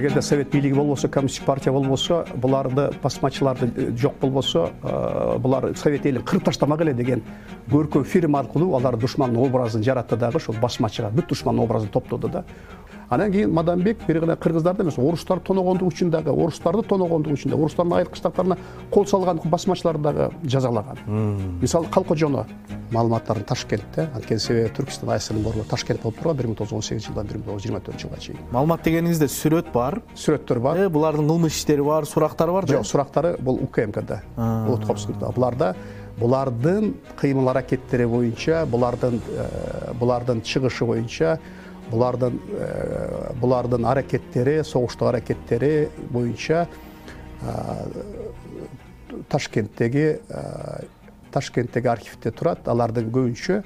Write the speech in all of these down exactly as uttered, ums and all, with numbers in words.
эгерде совет бийлиги болбосо, коммунисттик партия болбосо, буларды басмачыларды жок болбосо, булар совет элин кырып таштамак эле деген көркөм фильм аркылуу алар душмандын образын жаратты дагы, ошол басмачыга бүт душмандын образын топтоду да. Анан кийин Мадамбек бир гана кыргыздарды эмес, орустар тоногондук үчүн дагы, орустарды тоногондук үчүн дагы, орустардын айыркычтыктарына кол салган басмачыларды дагы жазалаган. Мисалы Калкожоно маалыматтарын Ташкентте, анткени себеби Түркистан АСРнын борбору Ташкент болуп турган бир миң тогуз жүз он сегизинчи жылдан бир миң тогуз жүз жыйырма төртүнчү жылга чейин. Маалымат дегениңизде сүрөт бар, сүрөттөр бар. Э, булардын кылмыш иштери бар, сурактары бар да? Жок, сурактары бул УКМКда, Уткопскийда. Буларда булардын кыймыл аракеттери боюнча, булардын булардын чыгышы боюнча, булардын булардын аракеттери, согуштук аракеттери боюнча Ташкенттеги Ташкенттеги архивде турат. Алардын көбүнчө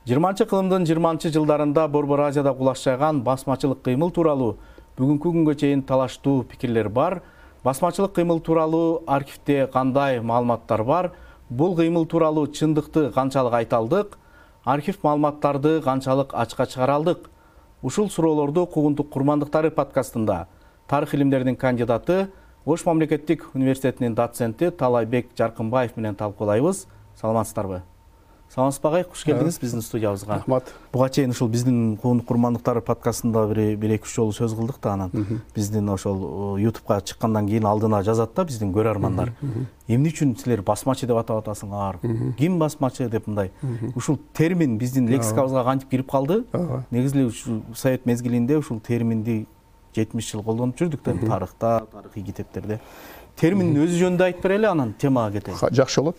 жыйырманчы кылымдын жыйырманчы жылдарында Борбор Азияда кулаш жайган басмачылык кыймыл тууралуу бүгүнкү күнгө чейин талаштуу пикирлер бар. Басмачылык кыймыл тууралуу архивде кандай маалыматтар бар? Бул кыймыл тууралуу чындыкты канчалык айта алдык? Архив маалыматтарды канчалык ачка чыгара алдык? Ушул суроолорду Куугунтук курмандыктары подкастында тарых илимдеринин кандидаты, Ош мамлекеттик университетинин доценти Талайбек Жаркынбаев менен талкуулайбыз. Саламатсыздарбы? Саламатсыз багай, куш келдиңиз биздин студиябызга. Рахмат. Буга чейин ушул биздин Куугунтук курмандыктары подкастында бир бир эки үч жолу сөз кылдык да, анан биздин ошол ютубка чыккандан кийин алдына жазат да биздин көрөрмандар. Эмне үчүн силер басмачы деп атап атасыңар? Ким басмачы деп мындай. Ушул термин биздин лексикабызга кантип кирип калды? Негизи эле ушул совет мезгилинде ушул терминди жетимиш жыл колдонуп жүрдүк да, тарыхта, тарыхый китептерде. Терминдин өзү жөнүндө айтып берели, анан темага кетели. Жакшы болот.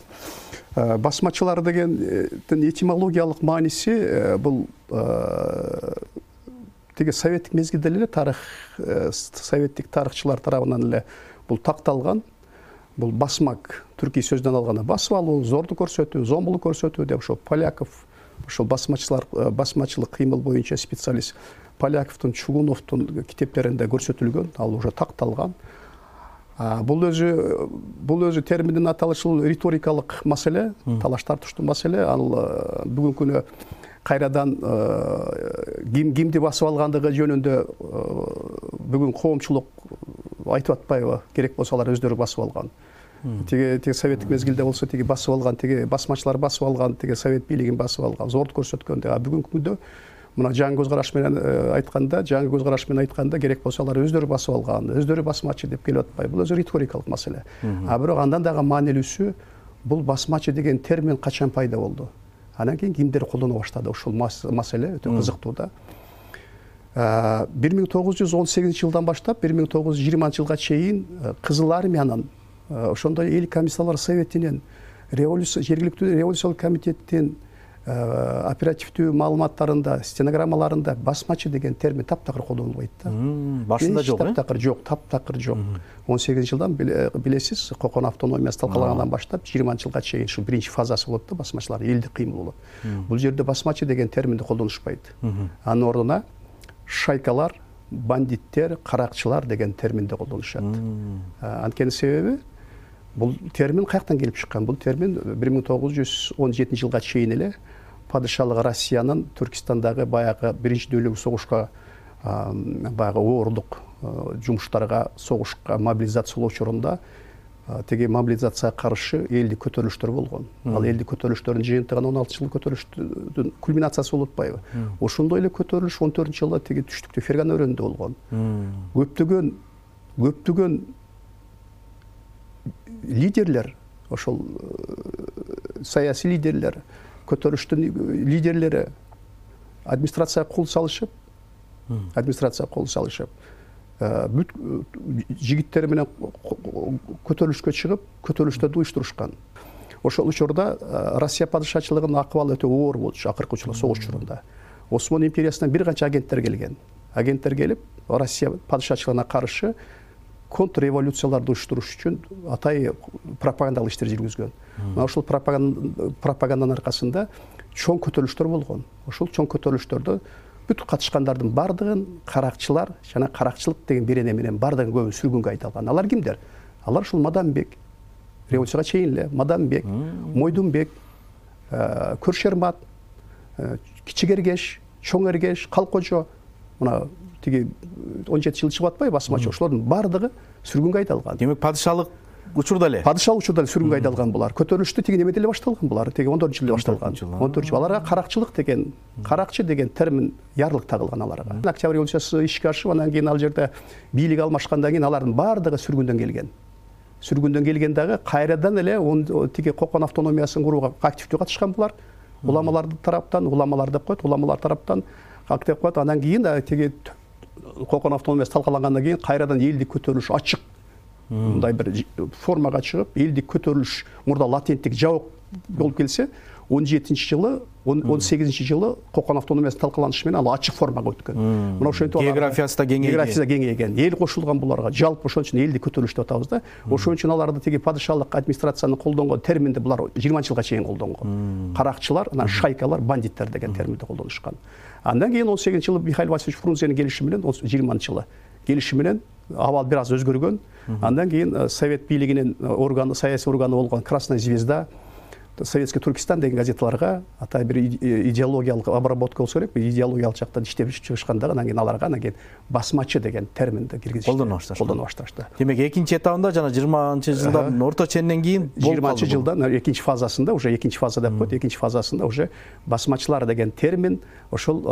Басмачылар дегендин этимологиялык мааниси бул теге советтик мезгилде эле тарых советтик тарыхчылар тарабынан эле бул такталган. Бул басмак түркий сөздөн алганда басып алуу, зордук көрсөтүү, зомбулук көрсөтүү деп ошол Поляков, ошол басмачылар басмачылык кыймыл боюнча специалист Поляковдун, Чугуновдун китептеринде көрсөтүлгөн, ал уже такталган. Бул өзү бул өзү терминдин аталышы риторикалык маселе, талаш тартыштуу маселе. Ал бүгүнкү күнү кайрадан ким кимди басып алгандыгы жөнүндө бүгүн коомчулук айтып атпайбы? Керек болсо алар өздөрү басып алган. Теге теге советтик мезгилде болсо теге басып алган, теге басмачылар басып алган, теге совет бийлигин басып алган, зордук көрсөткөн. А бүгүнкү күндө мына жаңы көз караш менен айтканда, жаңы көз караш менен айтканда керек болсо алар өздөрү басып алган, өздөрү басмачы деп келип атпайбы? Бул өзү риторикалык маселе. А бирок андан дагы маанилүүсү, бул басмачы деген термин качан пайда болду? Анан кийин кимдер колдоно баштады? Ушул маселе өтө кызыктуу да. бир миң тогуз жүз он сегизинчи жылдан баштап бир миң тогуз жүз жыйырманчы жылга чейин Кызыл армиянын, ошондой эл комиссарлар советинин, жергиликтүү революциялык комитеттин оперативдүү маалыматтарында, стенограммаларында басмачы деген термин таптакыр колдонулбайт да. Башында жок, э? Таптакыр жок, таптакыр жок. он сегизинчи жылдан билесиз, Кокон автономиясы талкалагандан баштап жыйырманчы жылга чейин ушу биринчи фазасы болот да, басмачылар элдик кыймыл болот. Бул жерде басмачы деген терминди колдонушпайт. Анын ордуна шайкалар, бандиттер, каракчылар деген терминди колдонушат. Анткени себеби бул термин каяктан келип чыккан? Бул термин бир миң тогуз жүз он жетинчи жылга чейин эле падышалык Россиянын Түркистандагы баягы биринчи дүйнөлүк согушка, баягы оорлук жумуштарга, согушка мобилизациялоо учурунда теге мобилизацияга каршы элдик көтөрүлүштөр болгон. Ал элдик көтөрүлүштөрдүн жыйынтыгы он алты жыл көтөрүлүштүн кульминациясы болуп атпайбы? Ошондой эле көтөрүлүш он төртүнчү жылда теге түштүктө Фергана өрөөнүндө болгон. Көптөгөн көптөгөн лидерлер, ошол саясий лидерлер, көтөрүштүн лидерлери администрацияга кол салышып, администрацияга кол салышып, бүт жигиттери менен көтөрүлүшкө чыгып, көтөрүлүштөрдү уюштурушкан. Ошол учурда Россия падышачылыгынын акыбалы өтө оор болчу, акыркы учурда согуш учурунда. Осман империясынан бир канча агенттер келген. Агенттер келип, Россия падышачылыгына каршы контрреволюцияларды уюштуруш үчүн атай пропагандалык иштер жүргүзгөн. Мына ошол пропаганданын аркасында чоң көтөрүлүштөр болгон. Ошол чоң көтөрүлүштөрдө бүт катышкандардын бардыгын каракчылар жана каракчылык деген берене менен бардыгын көбүн сүргүнгө айдалган. Алар кимдер? Алар ушул Мадамбек, революцияга чейин эле Мадамбек, Мойдунбек, Көрш Ермат, Кичи Эргеш, Чоң Эргеш, Калкожо, мына тиги он жети жыл чыгып атпайбы басмачы, ошолордун баардыгы сүргүнгө айдалган. Демек падышалык учурда эле. Падышалык учурда эле сүргүнгө айдалган булар. Көтөрүлүштү тиги немеде эле башталган булар. Тиги он төртүнчү жылда башталган. он төртүнчү жыл. Аларга каракчылык деген, каракчы деген термин ярлык тагылган аларга. Октябрь революциясы ишке ашып, анан кийин ал жерде бийлик алмашкандан кийин алардын баардыгы сүргүндөн келген. Сүргүндөн келген дагы кайрадан эле тиги Кокон автономиясын курууга активдүү катышкан булар. Уламалардын тараптан, уламалар деп коет, уламалар тараптан актив коет. Андан кийин тиги Кокон автономиясы талкалангандан кийин кайрадан элдик көтөрүлүш ачык мындай бир формага чыгып, элдик көтөрүлүш мурда латенттик жабык болуп келсе, он жетинчи жылы, он сегизинчи жылы Кокон автономиясы талкаланышы менен ал ачык формага өткөн. Мына ошентип географиясы да кеңейген. Географиясы да кеңейген. Эл кошулган буларга. Жалпы ошон үчүн элдик көтөрүлүш деп атабыз да. Ошон үчүн аларды тиги падышалык администрацияны колдонгон терминди булар жыйырманчы жылга чейин колдонгон. Каракчылар, анан шайкалар, бандиттер деген терминди колдонушкан. Андан кийин он сегизинчи жылы Михаил Васильевич Фрунзенин келишими менен жыйырманчы жылы келишими менен абал бир аз өзгөргөн. Андан кийин совет бийлигинин органы, саясий органы болгон Красная звезда, Советский Туркестан деген газеталарга атай бир идеологиялык обработка болсо керек, идеологиялык жактан иштеп чыгышканда анан кийин аларга анан кийин басмачы деген терминди киргизишти. Колдоно башташты. Колдоно башташты. Демек экинчи этабында жана жыйырманчы жылдардын орто ченинен кийин жыйырманчы жылдан экинчи фазасында, уже экинчи фаза деп коет, экинчи фазасында уже басмачылар деген термин ошол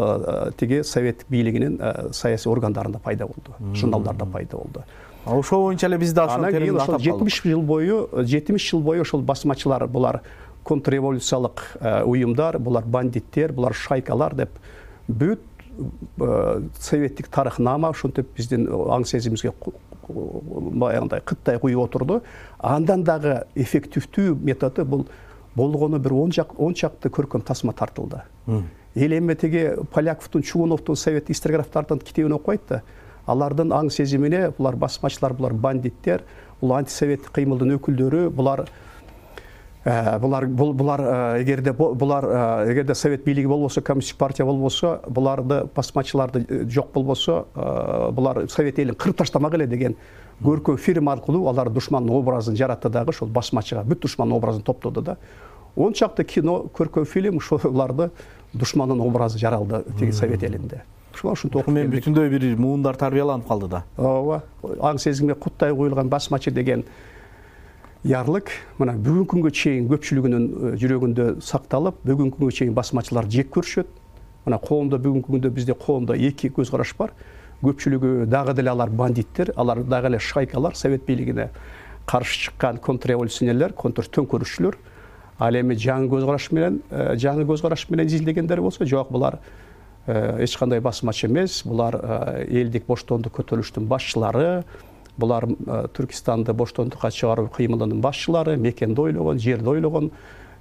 тиги совет бийлигинин саясий органдарында пайда болду, журналдарда пайда болду. Ошол боюнча эле бизде ошол терминди атап калдык. жетимиш жыл бою, жетимиш жыл бою ошол басмачылар, булар контрреволюциялык уюмдар, булар бандиттер, булар шайкалар деп бүт советтик тарыхнама ошентип биздин аң сезимибизге баягындай кыттай куюп отурду. Андан дагы эффективдүү методу бул болгону бир он чакты көркөм тасма тартылды. Эл эми тиги Поляковдун, Чугуновдун, совет историографтардын китебин окуйт да, алардын аң сезимине булар басмачылар, булар бандиттер, бул антисоветтик кыймылдын өкүлдөрү, булар булар булар эгерде булар эгерде совет бийлиги болбосо, коммунисттик партия болбосо, буларды басмачыларды жок болбосо, булар совет элин кырып таштамак эле деген көркөм фильм аркылуу алар душмандын образын жаратты дагы, ошол басмачыга бүт душмандын образын топтоду да. он чакты кино, көркөм фильм ошоларды душмандын образы жаралды тиги совет элинде. Ушинтип окуп мен бүтүндөй бир муундар тарбияланып калды да. Ооба, аң сезимге куттай коюлган басмачы деген ярлык мына бүгүнкү күнгө чейин көпчүлүгүнүн жүрөгүндө сакталып, бүгүнкү күнгө чейин басмачылар жек көрүшөт. Мына коомдо бүгүнкү күндө бизде коомдо эки көз караш бар. Көпчүлүгү дагы деле алар бандиттер, алар дагы эле шайкалар, совет бийлигине каршы чыккан контрреволюционерлер, контртөңкөрүшчүлөр. Ал эми жаңы көз караш менен, жаңы көз караш менен изилдегендер болсо, жок, булар эч кандай басмачы эмес, булар элдик боштондук көтөрүлүштүн башчылары, булар Түркистанды боштондукка чыгаруу кыймылынын башчылары, мекенди ойлогон, жерди ойлогон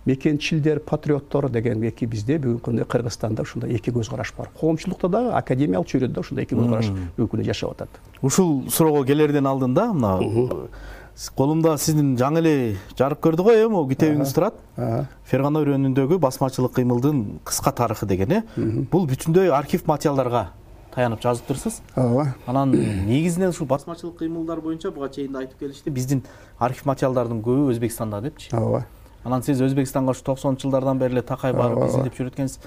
мекенчилдер, патриоттор деген эки бизде бүгүнкү күндө Кыргызстанда ушундай эки көз караш бар. Коомчулукта дагы, академиялык чөйрөдө ушундай эки көз караш бүгүнкү күндө жашап атат. Ушул суроого келерден алдын да, мына колумда сиздин жаңы эле жарык көрдү го, э, могу китебиңиз турат. Фергана өрөөнүндөгү басмачылык кыймылдын кыска тарыхы деген, э. Бул бүтүндөй архив материалдарга таянып жазыптырсыз. Ооба. Анан негизинен ушул басмачылык кыймылдар боюнча буга чейин да айтып келишти. Биздин архив материалдардын көбү Өзбекстанда депчи. Ооба. Анан сиз Өзбекстанга ушу токсонунчу жылдардан бери эле такай барып изилдеп жүрөт экенсиз.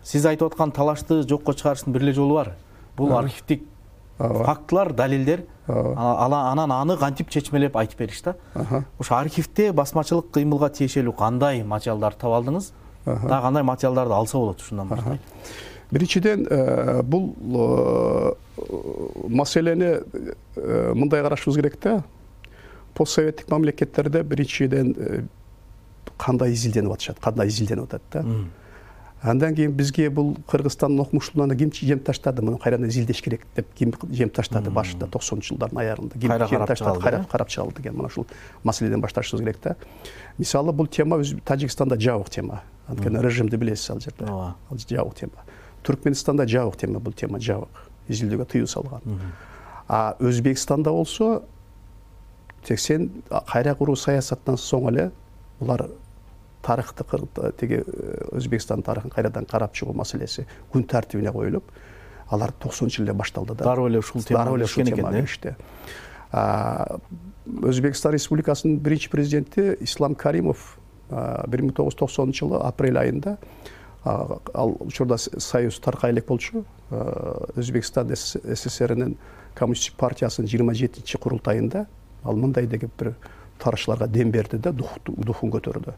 Сиз айтып аткан талашты жокко чыгарыштын бир эле жолу бар. Бул архивдик фактылар, далилдер. Анан аны кантип чечмелеп айтып бериш да. Ошо архивде басмачылык кыймылга тиешелүү кандай материалдарды таап алдыңыз? Дагы кандай материалдарды алса болот ушундан баштайт? Биринчиден, бул маселени мындай карашыбыз керек да. Постсоветтик мамлекеттерде биринчиден кандай изилденип атышат, кандай изилденип атат да. Андан кийин бизге бул Кыргызстандын окумуштууларына ким жем таштады, муну кайрадан изилдеш керек деп ким жем таштады башында токсонунчу жылдардын аягында. Ким жем таштады, кайра карап чыгалды деген мына ушул маселеден башташыбыз керек да. Мисалы бул тема Тажикстанда жабык тема. Анткени режимди билесиз ал жерде. Ал жабык тема. Түркменстанда жабык тема, бул тема жабык. Изилдөөгө тыюу салган. А Өзбекстанда болсо сексен кайра куруу саясаттан соң эле булар тарыхты тиги Өзбекстан тарыхын кайрадан карап чыгуу маселеси күн тартибине коюлуп, алар токсонунчу жылда башталды да. Дароо эле ушул тема ишкен экен. Өзбекстан Республикасынын биринчи президенти Ислам Каримов бир миң тогуз жүз токсонунчу жылы апрель айында ал учурда союз таркай элек болчу. Өзбекстан СССРнин коммунисттик партиясынын жыйырма жетинчи курултайында ал мындай деген бир тарыхчыларга дем берди да духун көтөрдү.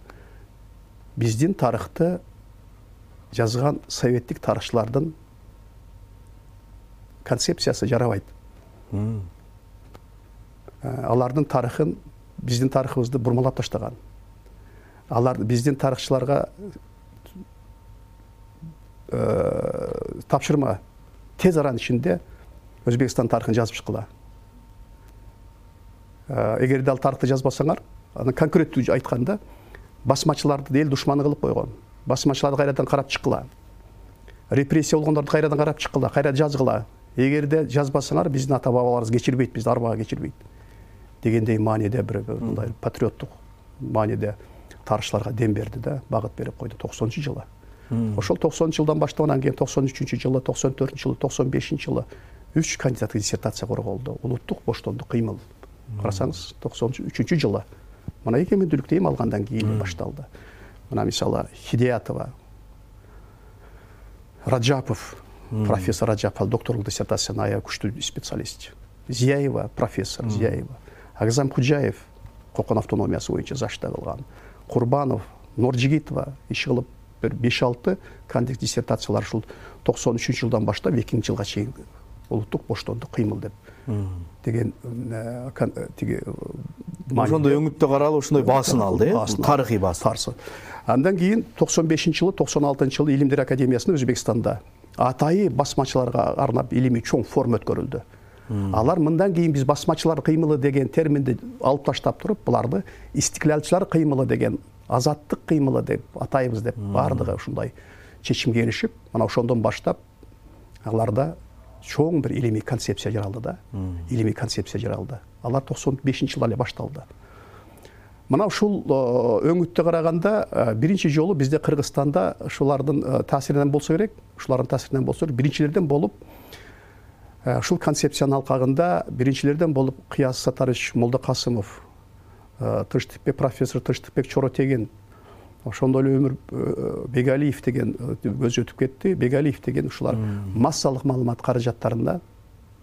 Биздин тарыхты жазган советтик тарыхчылардын концепциясы жарабайт. Алардын тарыхын, биздин тарыхыбызды бурмалап таштаган. Алар биздин тарыхчыларга тапшырма тез аранын ичинде Өзбекстан тарыхын жазып чыккыла. Эгерде ал тарыхты жазбасаңар, аны конкреттүү айтканда, басмачыларды эл душманы кылып койгон. Басмачыларды кайрадан карап чыккыла. Репрессия болгондорду кайрадан карап чыккыла, кайра жазгыла. Эгерде жазбасаңар, биздин ата бабаларыбыз кечирбейт, бизди арбага кечирбейт дегендей мааниде бир мындай патриоттук мааниде тарыхчыларга дем берди да, багыт берип койду токсонунчу жылы. Ошол токсонунчу жылдан баштап анан кийин токсон үчүнчү жылы, токсон төртүнчү жылы, токсон бешинчи жылы үч кандидаттык диссертация корголду. Улуттук боштондук кыймыл. Карасаңыз, токсон үчүнчү жылы мына экеминдүүлүктү эми алгандан кийин башталды. Мына мисалы Хидиятова, Раджапов, профессор Раджапов докторлук диссертацияны аябай күчтүү специалист. Зияева, профессор Зияева, Агзам Худжаев Кокон автономиясы боюнча зашта кылган. Курбанов, Норжигитова иш кылып бир беш алты кандидаттык диссертациялар ушул токсон үчүнчү жылдан баштап экинчи жылга чейин улуттук боштондук кыймыл деп деген тиги ошондой өңүттө каралып ошондой баасын алды, э? Тарыхый баасын. Андан кийин токсон бешинчи жылы, токсон алтынчы жылы Илимдер академиясында Өзбекстанда атайы басмачыларга арнап илимий чоң форум өткөрүлдү. Алар мындан кийин биз басмачылар кыймылы деген терминди алып таштап туруп, буларды истиклалчылар кыймылы деген, азаттык кыймылы деп атайбыз деп бардыгы ушундай чечимге келишип, мына ошондон баштап аларда чоң бир илимий концепция жаралды да. Илимий концепция жаралды. Алар токсон бешинчи жылы эле башталды. Мына ушул өңүттө караганда биринчи жолу бизде Кыргызстанда ушулардын таасиринен болсо керек, ушулардын таасиринен болсо керек, биринчилерден болуп ушул концепциянын алкагында биринчилерден болуп Кыяз Сатарович Молдокасымов, Тынчтыкбек профессор Тынчтыкбек Чоротегин, ошондой эле Өмүр Бегалиев деген өзү өтүп кетти. Бегалиев деген ушулар массалык маалымат каражаттарында,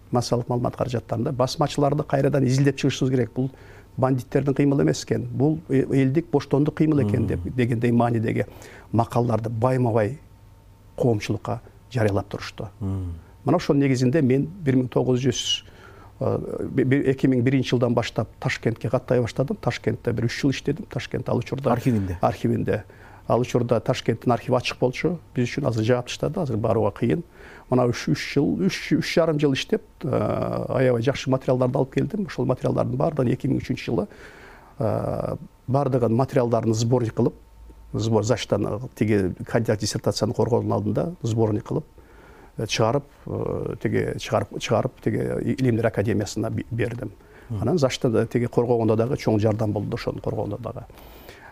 массалык маалымат каражаттарында басмачыларды кайрадан изилдеп чыгышыбыз керек. Бул бандиттердин кыймылы эмес экен, бул элдик боштондук кыймыл экен деп дегендей маанидеги макалаларды байма-бай коомчулукка жарыялап турушту. Мына ошонун негизинде мен бир миң тогуз жүз эки миң биринчи жылдан баштап Ташкентке каттай баштадым. Ташкентте бир үч жыл иштедим. Ташкент ал учурда архивинде. Архивинде. Ал учурда Ташкенттин архиви ачык болчу. Биз үчүн азыр жаап таштады, азыр барууга кыйын. Мына үч жыл, үч жарым жыл иштеп, аябай жакшы материалдарды алып келдим. Ошол материалдардын баардыгын эки миң үчүнчү жылы баардыгын материалдарын сборник кылып, сбор заштан тиги кандидат диссертацияны коргоонун алдында сборник кылып чыгарып, тиги чыгарып чыгарып тиги Илимдер академиясына бердим. Анан зашта тиги коргогондо дагы чоң жардам болду, ошону коргогондо дагы.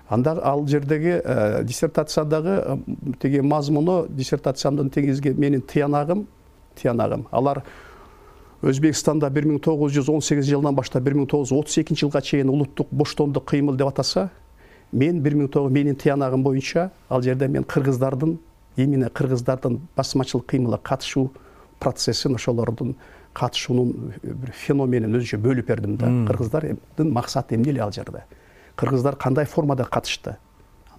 Анда ал жердеги диссертациядагы тиги мазмуну, диссертациямдын тегизге менин тыянагым, тыянагым. Алар Өзбекстанда бир миң тогуз жүз он сегизинчи жылдан баштап бир миң тогуз жүз отуз экинчи жылга чейин улуттук боштондук кыймыл деп атаса, мен бир миң тогуз жүз менин тыянагым боюнча ал жерде мен кыргыздардын, именно кыргыздардын басмачылык кыймылга катышуу процессин, ошолордун катышуунун бир феноменин өзүнчө бөлүп бердим да. Кыргыздардын максаты эмне эле ал жерде? Кыргыздар кандай формада катышты?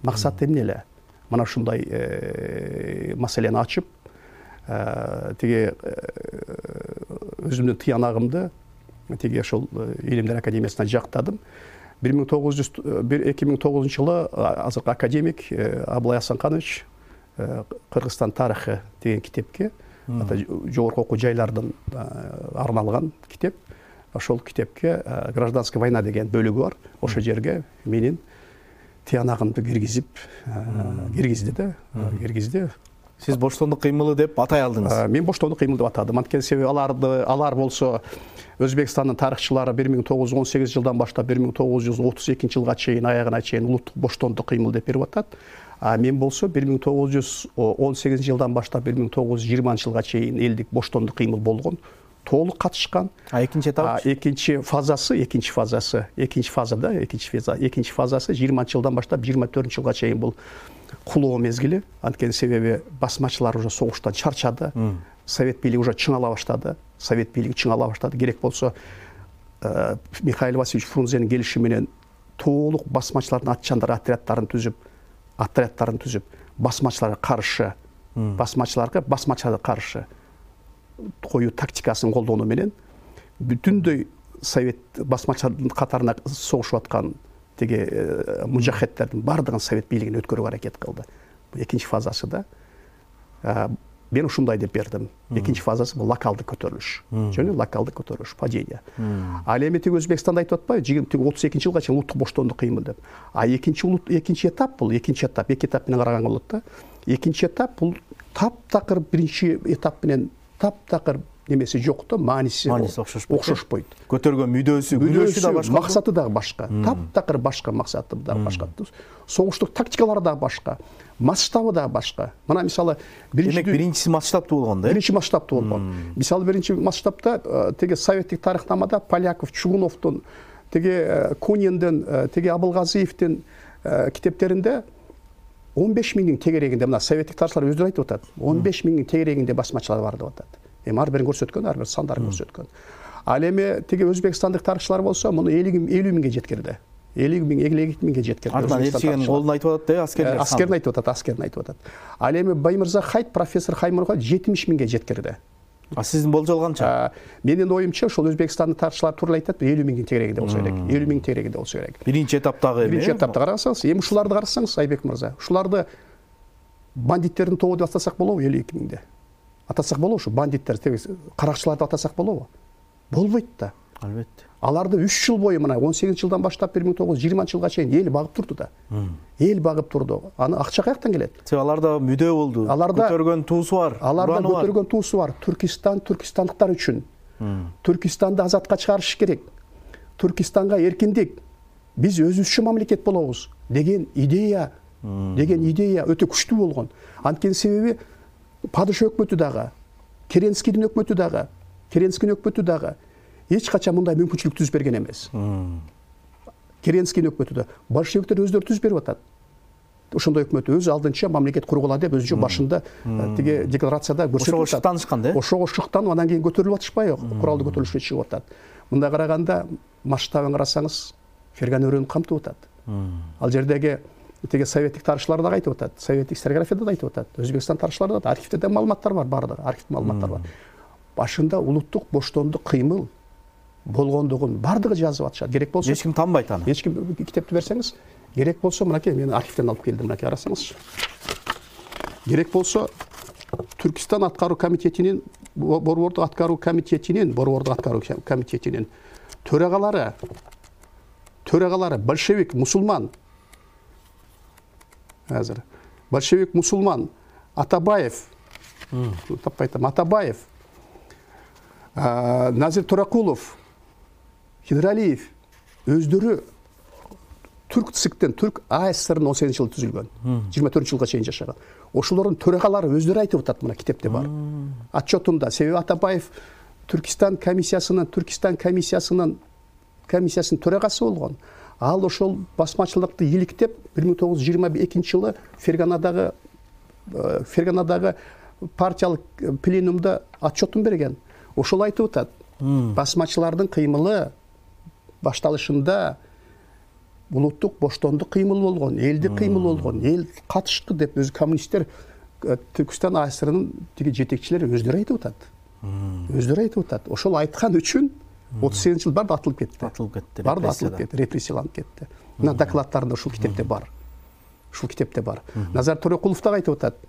Максаты эмне эле? Мына ушундай маселени ачып, тиги өзүмдүн тыянагымды тиги ошол Илимдер академиясына жактадым. бир миң тогуз жүз эки миң тогузунчу жылы азыркы академик Аблай Асанканович Кыргызстан тарыхы деген китепке, жогорку окуу жайлардын арналган китеп. Ошол китепке гражданская война деген бөлүгү бар. Ошол жерге менин тыянагымды киргизип, киргизди да, киргизди. Сиз боштондук кыймылы деп атай алдыңыз. Мен боштондук кыймыл деп атадым. Анткени себеби аларды, алар болсо Өзбекстандын тарыхчылары бир миң тогуз жүз он сегизинчи жылдан баштап бир миң тогуз жүз отуз экинчи жылга чейин, аягына чейин улуттук боштондук кыймыл деп берип атат. А мен болсо бир миң тогуз жүз он сегизинчи жылдан баштап бир миң тогуз жүз жыйырманчы жылга чейин элдик боштондук кыймыл болгон толук катышкан. А экинчи этап? Экинчи фазасы, экинчи фазасы, экинчи фазада, экинчи фаза, экинчи фазасы жыйырманчы жылдан баштап жыйырма төртүнчү жылга чейин бул кулоо мезгили. Анткени себеби басмачылар уже согуштан чарчады. Совет бийлиги уже чыңала баштады. Совет бийлиги чыңала баштады. Керек болсо Михаил Васильевич Фрунзенин келиши менен толук басмачылардын атчандар отряддарын түзүп, отряддарын түзүп, басмачыларга каршы, басмачыларга басмачыларга каршы коюу тактикасын колдонуу менен бүтүндөй совет басмачылардын катарына согушуп аткан тиги мужахедтердин бардыгын совет бийлигине өткөрүүгө аракет кылды. Экинчи фазасы да мен ушундай деп бердим. Экинчи фазасы бул локалдык көтөрүлүш. Жөн локалдык көтөрүлүш, падение. Ал эми тиги Өзбекстанда айтып атпайбы, тиги отуз экинчи жылга чейин улуттук боштондук кыймыл деп. А экинчи улут экинчи этап бул, экинчи этап, эки этап менен караган болот да. Экинчи этап бул таптакыр биринчи этап менен таптакыр немеси жок да, мааниси окшошпойт. Көтөргөн мүдөөсү, мүдөөсү да башка, максаты да башка. Таптакыр башка, максаты да башка. Согуштук тактикалары да башка, масштабы да башка. Мына мисалы биринчи демек биринчиси масштабтуу болгон да? Биринчи масштабтуу болгон. Мисалы биринчи масштабта теге советтик тарыхнамада Поляков, Чугуновдун, теге Куниндин, теге Абылгазиевдин китептеринде он беш миңдин тегерегинде, мына советтик тарыхчылар өздөрү айтып атат, он беш миңдин тегерегинде басмачылар бар деп атат. Эми ар бирин көрсөткөн, ар бир сандарын көрсөткөн. Ал эми теге өзбекстандык тарыхчылар болсо, муну элүү миңге жеткирди. элүү миң, элүү эки миңге жеткирди. Артынан элчигенин колун айтып атат да, аскерлер. Аскерин айтып атат, аскерин айтып атат. Ал эми Баймырза Хайт, профессор Хаймырга жетимиш миңге жеткирди. А сиздин болжол канча? Менин оюмча, ошол Өзбекстандын тарыхчылар туура айтат, элүү миңдин тегерегинде болсо керек. элүү миң тегерегинде болсо керек. Биринчи этаптагы эми. Биринчи этапта карасаңыз, эми ушуларды карасаңыз, Айбек мырза, ушуларды бандиттердин тобу деп атасак болобу элүү эки миңде? Атасак болобу ушу бандиттер, каракчыларды атасак болобу? Болбойт да. Албетте. Аларды үч жыл бою, мына он сегизинчи жылдан баштап бир миң тогуз жүз жыйырманчы жылга чейин эл багып турду да. Эл багып турду. Аны акча каяктан келет? Себеби аларда мүдөө болду. Көтөргөн туусу бар. Аларда көтөргөн туусу бар. Түркистан түркистандыктар үчүн. Түркистанды азатка чыгарыш керек. Түркистанга эркиндик. Биз өзүбүзчө мамлекет болобуз деген идея, деген идея өтө күчтүү болгон. Анткени себеби падыша өкмөтү дагы, Керенскийдин өкмөтү дагы, Керенскийдин өкмөтү дагы эч качан мындай мүмкүнчүлүк түзүп берген эмес. Керенскийдин өкмөтү да большевиктер өздөрү түзүп берип атат. Ошондой өкмөт өз алдынча мамлекет кургула деп өзүнчө башында тиги декларацияда көрсөтүп атат. Ошого шыктанышкан да? Ошого шыктанып, анан кийин көтөрүлүп атышпайбы? Куралдуу көтөрүлүшкө чыгып атат. Мындай караганда масштабын карасаңыз, Ферган өрөөнү камтып атат. Ал жердеги теге советтик тарыхчылар да айтып атат, советтик историографияда да айтып атат, Өзбекстан тарыхчылары да, архивде да маалыматтар бар, бардыгы, архив маалыматтар бар. Башында улуттук боштондук кыймыл болгондугун бардыгы жазып атышат. Керек болсо эч ким танбайт аны. Эч ким китепти берсеңиз, керек болсо мынакей мен архивден алып келдим, мынакей карасаңызчы. Керек болсо Түркистан аткаруу комитетинин, борбордук аткаруу комитетинин, борбордук аткаруу комитетинин төрагалары, төрагалары большевик, мусулман. Азыр большевик, мусулман Атабаев, таппай айтам, Атабаев, Назир Туракулов, Хидралиев өздөрү түрк циктен, түрк АССРдин он сегизинчи жылы түзүлгөн, жыйырма төртүнчү жылга чейин жашаган. Ошолордун төрагалары өздөрү айтып атат, мына китепте бар. Отчетунда, себеби Атабаев Түркистан комиссиясынын, Түркистан комиссиясынын комиссиясынын төрагасы болгон. Ал ошол басмачылыкты иликтеп бир миң тогуз жүз жыйырма экинчи жылы Ферганадагы Ферганадагы партиялык пленумда отчетун берген. Ошол айтып атат. Басмачылардын кыймылы башталышында улуттук боштондук кыймыл болгон, элдик кыймыл болгон, эл катышты деп өзү коммунисттер Түркистан АССРынын тиги жетекчилери өздөрү айтып атат. Өздөрү айтып атат. Ошол айткан үчүн отуз сегизинчи жыл барды атылып кетти. Атылып кетти. Барды атылып кетти, репрессияланып кетти. Мына докладтарында ушул китепте бар. Ушул китепте бар. Назар Туракулов да айтып атат.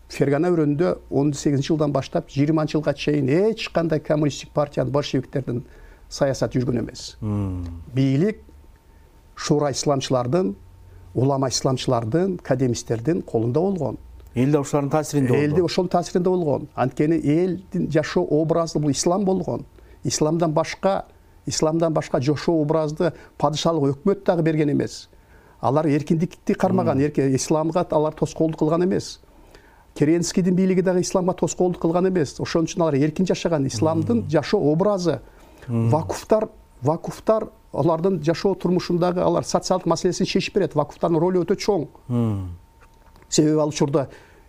Фергана өрөөнүндө он сегизинчи жылдан баштап жыйырманчы жылга чейин эч кандай коммунисттик партиянын, большевиктердин саясаты жүргөн эмес. Бийлик шура исламчылардын, улама исламчылардын, академисттердин колунда болгон. Элде ошолордун таасиринде болгон. Элде ошонун таасиринде болгон. Анткени элдин жашоо образы бул ислам болгон. Исламдан башка, исламдан башка жашоо образды падышалык өкмөт дагы берген эмес. Алар эркиндикти кармаган, исламга алар тоскоолдук кылган эмес. Керенскийдин бийлиги дагы исламга тоскоолдук кылган эмес. Ошон үчүн алар эркин жашаган. Исламдын жашоо образы, вакуфтар, вакуфтар алардын жашоо турмушундагы алар социалдык маселесин чечип берет. Вакуфтардын ролу өтө чоң. Себеби ал учурда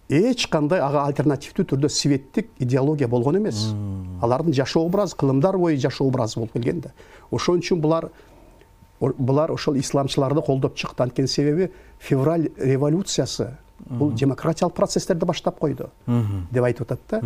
эч кандай ага альтернативдүү түрдө светтик идеология болгон эмес. Алардын жашоо образы, кылымдар бою жашоо образы болуп келген да. Ошон үчүн булар булар ошол исламчыларды колдоп чыкты. Анткени себеби февраль революциясы бул демократиялык процесстерди баштап койду деп айтып атат да.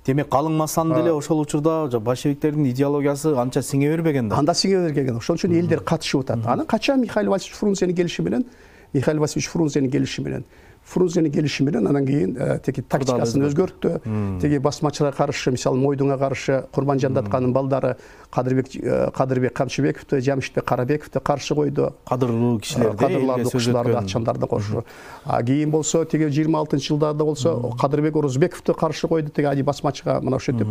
Демек калың массаны деле ошол учурда большевиктердин идеологиясы анча сиңе бербеген да. Анда сиңе бербеген. Ошон үчүн элдер катышып атат. Анан качан Михаил Васильевич Фрунзенин келиши менен, Михаил Васильевич Фрунзенин келиши менен Фрунзенин келиши менен анан кийин теги тактикасын өзгөрттү. Теги басмачыларга каршы, мисалы Мойдунга каршы Курманжандатканын балдары Кадырбек Кадырбек Камчыбековду, Жамшитбек Карабековду каршы койду. Кадырлуу кишилерди, кадырларды, кушуларды, атчандарды кошу. А кийин болсо теги жыйырма алтынчы жылдарда болсо Кадырбек Орозбековду каршы койду. Теги ади басмачыга мына ошентип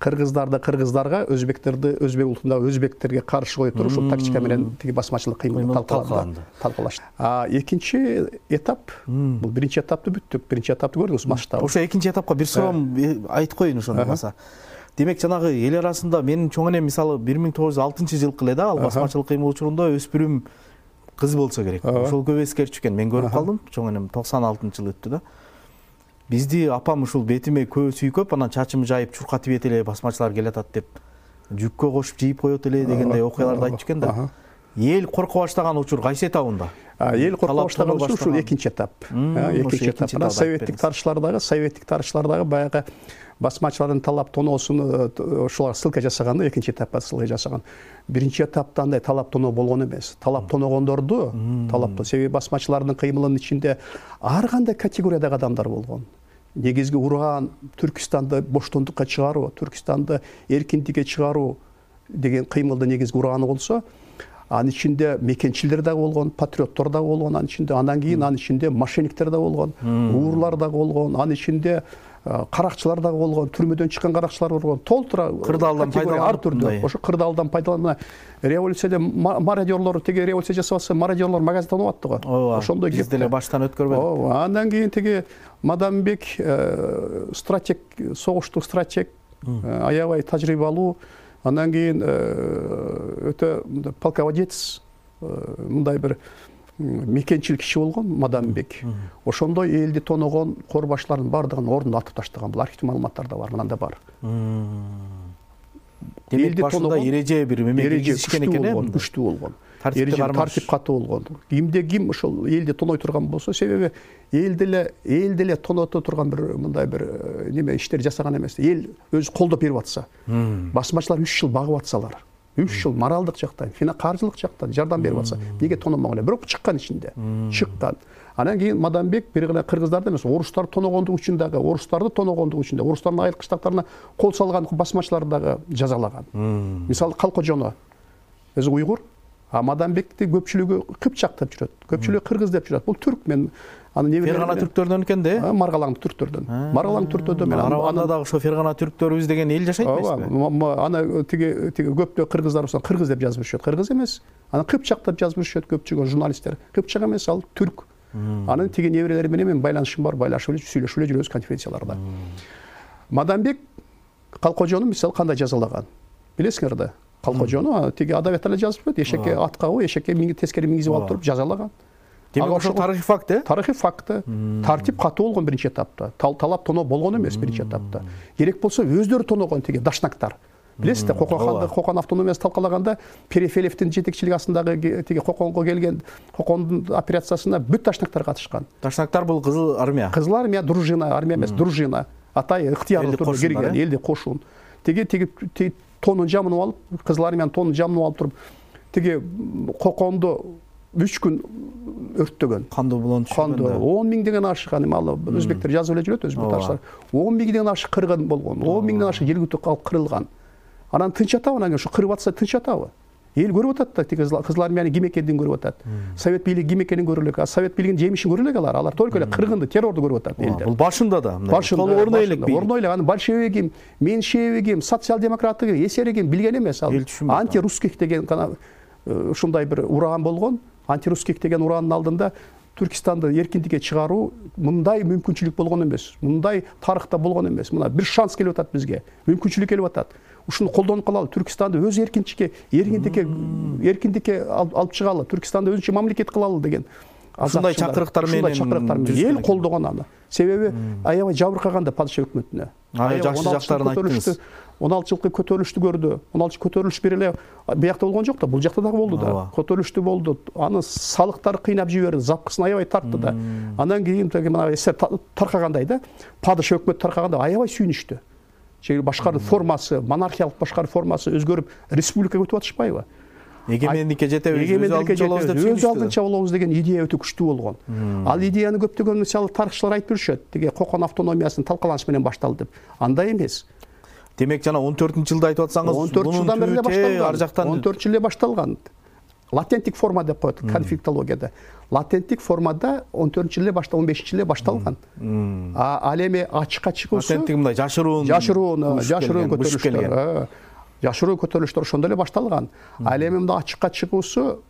кыргыздарды кыргыздарга, өзбектерди өзбек улутундагы өзбектерге каршы коюп туруп ушул тактика менен теги басмачылык кыймыл талкаланды. Талкалашты. А экинчи этап, бул биринчи этапты бүттүк. Биринчи этапты көрдүңүз масштабы. Ошо экинчи этапка бир суроо айтып коеюн ошондо болсо. Демек жанагы эл арасында менин чоң энем мисалы бир миң тогуз жүз алтынчы жылкы эле да ал басмачылык кыймыл учурунда өспүрүм кыз болсо керек. Ошол көп эскерчү экен. Мен көрүп калдым. Чоң энем токсон алтынчы жыл өттү да. Бизди апам ушул бетиме көз сүйкөп, анан чачымды жайып чуркатып ийет эле, басмачылар келатат деп жүккө кошуп жийип коет эле дегендей окуяларды айтчу экен да. Эл корко баштаган учур кайсы этабында? Эл корко баштаган учур ушул экинчи этап. Экинчи этап. Советтик тарыхчылардагы, советтик тарыхчылардагы баягы басмачылардын талап тоноосун ошолар ссылка жасаганда экинчи этапка ссылка жасаган. Биринчи этапта андай талап тоноо болгон эмес. Талап тоногондорду, талапты себеби басмачылардын кыймылынын ичинде ар кандай категориядагы адамдар болгон. Негизги уран Түркистанды боштондукка чыгаруу, Түркистанды эркиндикке чыгаруу деген кыймылдын негизги ураны болсо, анын ичинде мекенчилдер дагы болгон, патриоттор дагы болгон, анын ичинде андан кийин анын ичинде мошенниктер дагы болгон, уурлар дагы болгон, анын ичинде каракчылар дагы болгон, түрмөдөн чыккан каракчылар болгон, толтура кырдаалдан пайдаланып ар түрдө. Ошо кырдаалдан пайдаланып революцияда мародёрлор теги революция жасабаса мародёрлор магазин тонуп аттты го. Ошондой биз деле баштан өткөрбөдүк. Ооба, андан кийин теги Мадамбек стратег, согуштук стратег, аябай тажрыйбалуу, андан кийин өтө полководец, мындай бир мекенчил киши болгон Мадамбек. Ошондой элди тоногон корбашлардын бардыгын ордуна атып таштаган. Бул архив маалыматтарда бар, мынанда бар. Демек башында эреже бир мемлекет ишкен экен э? Күчтүү болгон. Тартип катуу болгон. Кимде ким ошол элди тоной турган болсо, себеби эл деле эл деле тоното турган бир мындай бир неме иштер жасаган эмес. Эл өзү колдоп берип атса, басмачылар үч жыл багып атсалар, үч жыл моралдык жактан, каржылык жактан жардам берип атса, эмнеге тономогон эле? Бирок чыккан ичинде, чыккан. Анан кийин Мадамбек бир гана кыргыздарды эмес, орустар тоногондук үчүн дагы, орустарды тоногондук үчүн дагы, орустардын айыл кыштактарына кол салган басмачыларды дагы жазалаган. Мисалы Калкожоно өзү уйгур, а Мадамбекти көпчүлүгү кыпчак деп жүрөт, көпчүлүгү кыргыз деп жүрөт. Бул түрк. Мен аны не билем. Фергана түрктөрдөн экен да? Маргалаң түрктөрдөн. Маргалаң түрктөрдөн мен анда дагы ошо Фергана түрктөрүбүз деген эл жашайт эмеспи? Ана тиги тиги көптөө кыргыздар болсо кыргыз деп жазып жүрүшөт. Кыргыз эмес. Аны кыпчак деп жазып жүрүшөт көпчүлүк журналисттер. Кыпчак эмес, ал түрк. Анын тиги неберелери менен мен байланышым бар, байлашып эле сүйлөшүп эле жүрөбүз конференцияларда. Мадамбек Калкожону мисалы кандай жазалаган? Билесиңер да? Калкожону тиги адабиятта эле жазып койт. Эшекке атка кой, эшекке тескери мингизип алып туруп жазалаган. Демек ошо тарыхый факт э? Тарыхый факт. Тартип катуу болгон биринчи этапта. Талап тоноо болгон эмес биринчи этапта. Керек болсо өздөрү тоногон тиги дашнактар. Билесиз да, Кокон Кокон автономиясы талкалаганда Перефелевдин жетекчилиги астындагы тиги Коконго келген Кокондун операциясына бүт дашнактар катышкан. Дашнактар бул кызыл армия. Кызыл армия, дружина, армия эмес, дружина. Атай ыктыярлуу түрдө кирген, элди кошун. Тиги тиги тонун жамынып алып, кызыл армиянын тонун жамынып алып туруп, тиги Коконду үч күн өрттөгөн. Кандуу булон түшкөн. он миңден ашык, аны ал өзбектер жазып эле жүрөт, өзбек тарыхчылар. он миңден ашык кыргын болгон, он миңден ашык жергиликтүү калып кырылган. Анан тынч атабы, анан ушу кырып атса тынч атабы? Эл көрүп атат да, тиги кызыл армиянын ким экенин көрүп атат. Совет бийлиги ким экенин көрүп элек, Совет бийлигинин жемишин көрүп элек алар. Алар только эле кыргынды, террорду көрүп атат элдер. Бул башында да, башында орно элек, орно элек. Аны большевигим, меньшевигим, социал-демократыгым, эсеригим билген эмес. Ал антирусских деген ушундай бир уран болгон. Антирусских деген уранын алдында Түркистанды эркиндикке чыгаруу мындай мүмкүнчүлүк болгон эмес. Мындай тарыхта болгон эмес. Мына бир шанс келип атат бизге. Мүмкүнчүлүк келип атат. Ушуну колдонуп калалы. Түркистанды өз эркинчикке, эркиндикке, эркиндикке алып чыгалы. Түркистанды өзүнчө мамлекет кылалы деген. Ушундай чакырыктар менен, ушундай чакырыктар менен эл колдогон аны. Себеби аябай жабыркаган да падыша өкмөтүнө. Аябай жакшы жактарын айттыңыз. он алты жылкы көтөрүлүштү көрдү. он алты көтөрүлүш бир эле биякта болгон жок да, бул жакта дагы болду да. Көтөрүлүштү болду. Аны салыктар кыйнап жиберди, запкысын аябай тартты да. Андан кийин мына эсер таркагандай да, падыша өкмөт таркаганда аябай сүйүнүштү. Чеги башкаруу формасы, монархиялык башкаруу формасы өзгөрүп, республикага өтүп атышпайбы? Эгемендикке жетебиз, өз алдынча болобуз деп өз алдынча болобуз деген идея өтө күчтүү болгон. Ал идеяны көптөгөн мисалы тарыхчылар айтып жүрүшөт. Деге Кокон автономиясынын талкаланышы менен башталды деп. Андай эмес. Демек жана он төртүнчү жылда айтып атсаңыз, он төрт жылдан бери эле башталган. Ар жактан он төрт жыл эле башталган. Латенттик форма деп коет конфликтологияда. Латенттик формада он төртүнчү жылы башта он бешинчи жылы башталган. А ал эми ачыкка чыгуусу латенттик мындай жашыруун, жашыруун, жашыруун көтөрүлүштөр. Жашыруу көтөрүлүштөр ошондо эле башталган. Ал эми мында ачыкка чыгуусу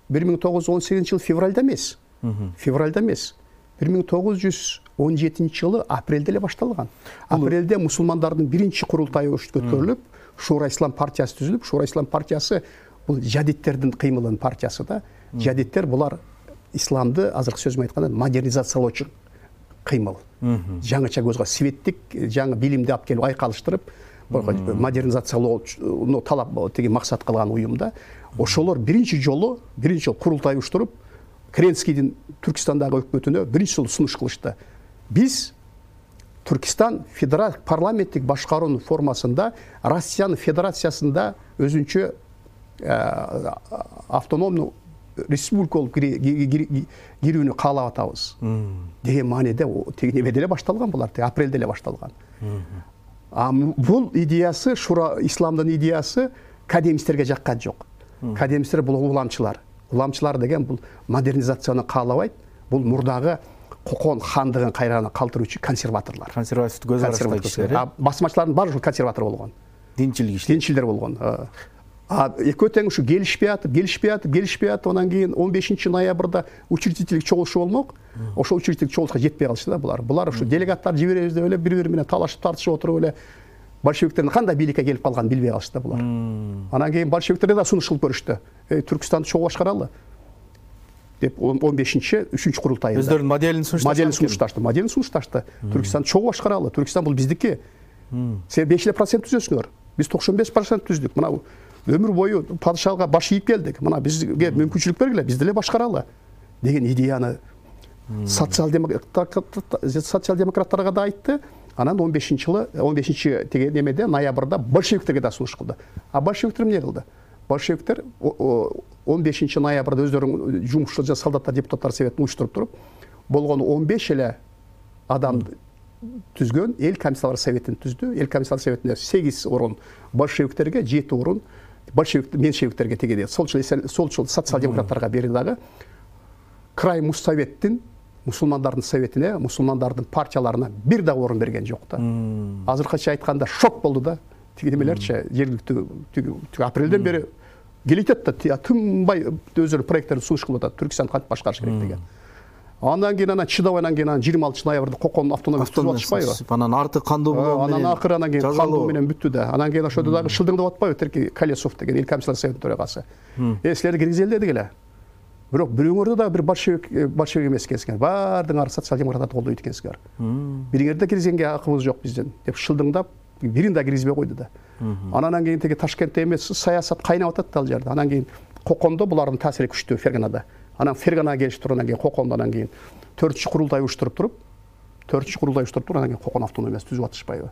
бир миң тогуз жүз он сегизинчи жыл февралда эмес. Февралда эмес. бир миң тогуз жүз он жетинчи жылы апрелде эле башталган. Апрелде мусулмандардын биринчи курултайы өткөрүлүп, Шуура Ислам партиясы түзүлүп, Шуура Ислам партиясы бул жадиттердин кыймылынын партиясы да. Жадиттер булар исламды азыркы сөз менен айтканда модернизациялоочу кыймыл. Жаңыча көзгө светтик, жаңы билимди алып келип айкалыштырып, модернизациялоону талап теги максат кылган уюмда. Ошолор биринчи жолу, биринчи жолу курултай уштуруп, Керенскийдин Түркистандагы өкмөтүнө биринчи жолу сунуш кылышты. Биз Түркистан федерал парламенттик башкаруунун формасында Россиянын федерациясында өзүнчө автономдуу республика болуп кирүүнү каалап атабыз деген мааниде теги эмеде эле башталган булар, апрелде эле башталган. А бул идеясы, Шура исламдын идеясы кадемисттерге жаккан жок. Кадемисттер бул уламчылар. Уламчылар деген бул модернизацияны каалабайт. Бул мурдагы Кокон хандыгын кайрана калтыруучу консерваторлор. Консервативдүү көз караштай кишилер. А басмачылардын баары ушул консерватор болгон. Динчил кишилер. Динчилдер болгон. А экөө тең ушу келишпей атып, келишпей атып, келишпей атып, анан кийин он бешинчи ноябрда учредительдик чогулушу болмок. Ошол учредительдик чогулушка жетпей калышты да булар. Булар ушу делегаттар жиберебиз деп эле бири-бири менен талашып тартышып отуруп эле большевиктердин кандай бийликке келип калганын билбей калышты да булар. Анан кийин большевиктер да сунуш кылып көрүштү. Түркистанды чогуу башкаралы деп он бешинчи үчүнчү курултайында өздөрүнүн моделин сунушташты. Моделин сунушташты. Моделин сунушташты. Түркистанды чогуу башкаралы. Түркистан бул биздики. Сен беш эле процент түзөсүңөр. Биз токсон беш процент түздүк. Мына өмүр бою падышага баш ийип келдик. Мына бизге мүмкүнчүлүк бергиле, биз деле башкаралы деген идеяны социал-демократтарга да айтты. Анан он бешинчи жылы, он бешинчи теге немеде ноябрда большевиктерге да сунуш кылды. А большевиктер эмне кылды? Большевиктер он бешинчи ноябрда өздөрүнүн жумушчу жана солдаттар депутаттар советин уюштуруп туруп, болгону он беш эле адам түзгөн эл комиссарлар советин түздү. Эл комиссарлар советинде сегиз орун большевиктерге, жети орун большевик меньшевиктерге тегеде, солчул солчул социал-демократтарга берди дагы. Край Муссоветтин мусулмандардын советине, мусулмандардын партияларына бир да орун берген жок да. Азыркыча айтканда шок болду да. Тиги немелерчи жергиликтүү апрелден бери келет да, тынбай өздөрү проекттерди сунуш кылып атат. Түркистанды кантип башкарыш керек деген. Андан кийин анан чыдабай анан кийин жыйырма алтынчы ноябрда Кокон автономиясы түзүп атышпайбы? Анан арты кандуу менен. Анан акыры анан кийин кандуу менен бүттү да. Анан кийин ошодо дагы шылдыңдап атпайбы Терки Колесов деген эл комиссарлар советинин төрагасы. Э, силерди киргизели дедик эле. Бирок бирөөңөрдө да бир большевик большевик эмес экенсиңер. Баардыгыңар социал-демократтарды колдойт экенсиңер. Бириңерди киргизгенге акыбыз жок бизден деп шылдыңдап, бирин да киргизбей койду да. Анан кийин теги Ташкентте эмес саясат кайнап атат ал жерде. Анан кийин Кокондо булардын таасири күчтүү, Ферганада. Анан Ферганага келип туруп, анан кийин Кокондо анан кийин төртүнчү курултай уюштуруп туруп, төртүнчү курултай уюштуруп туруп, анан кийин Кокон автономиясы түзүп атышпайбы?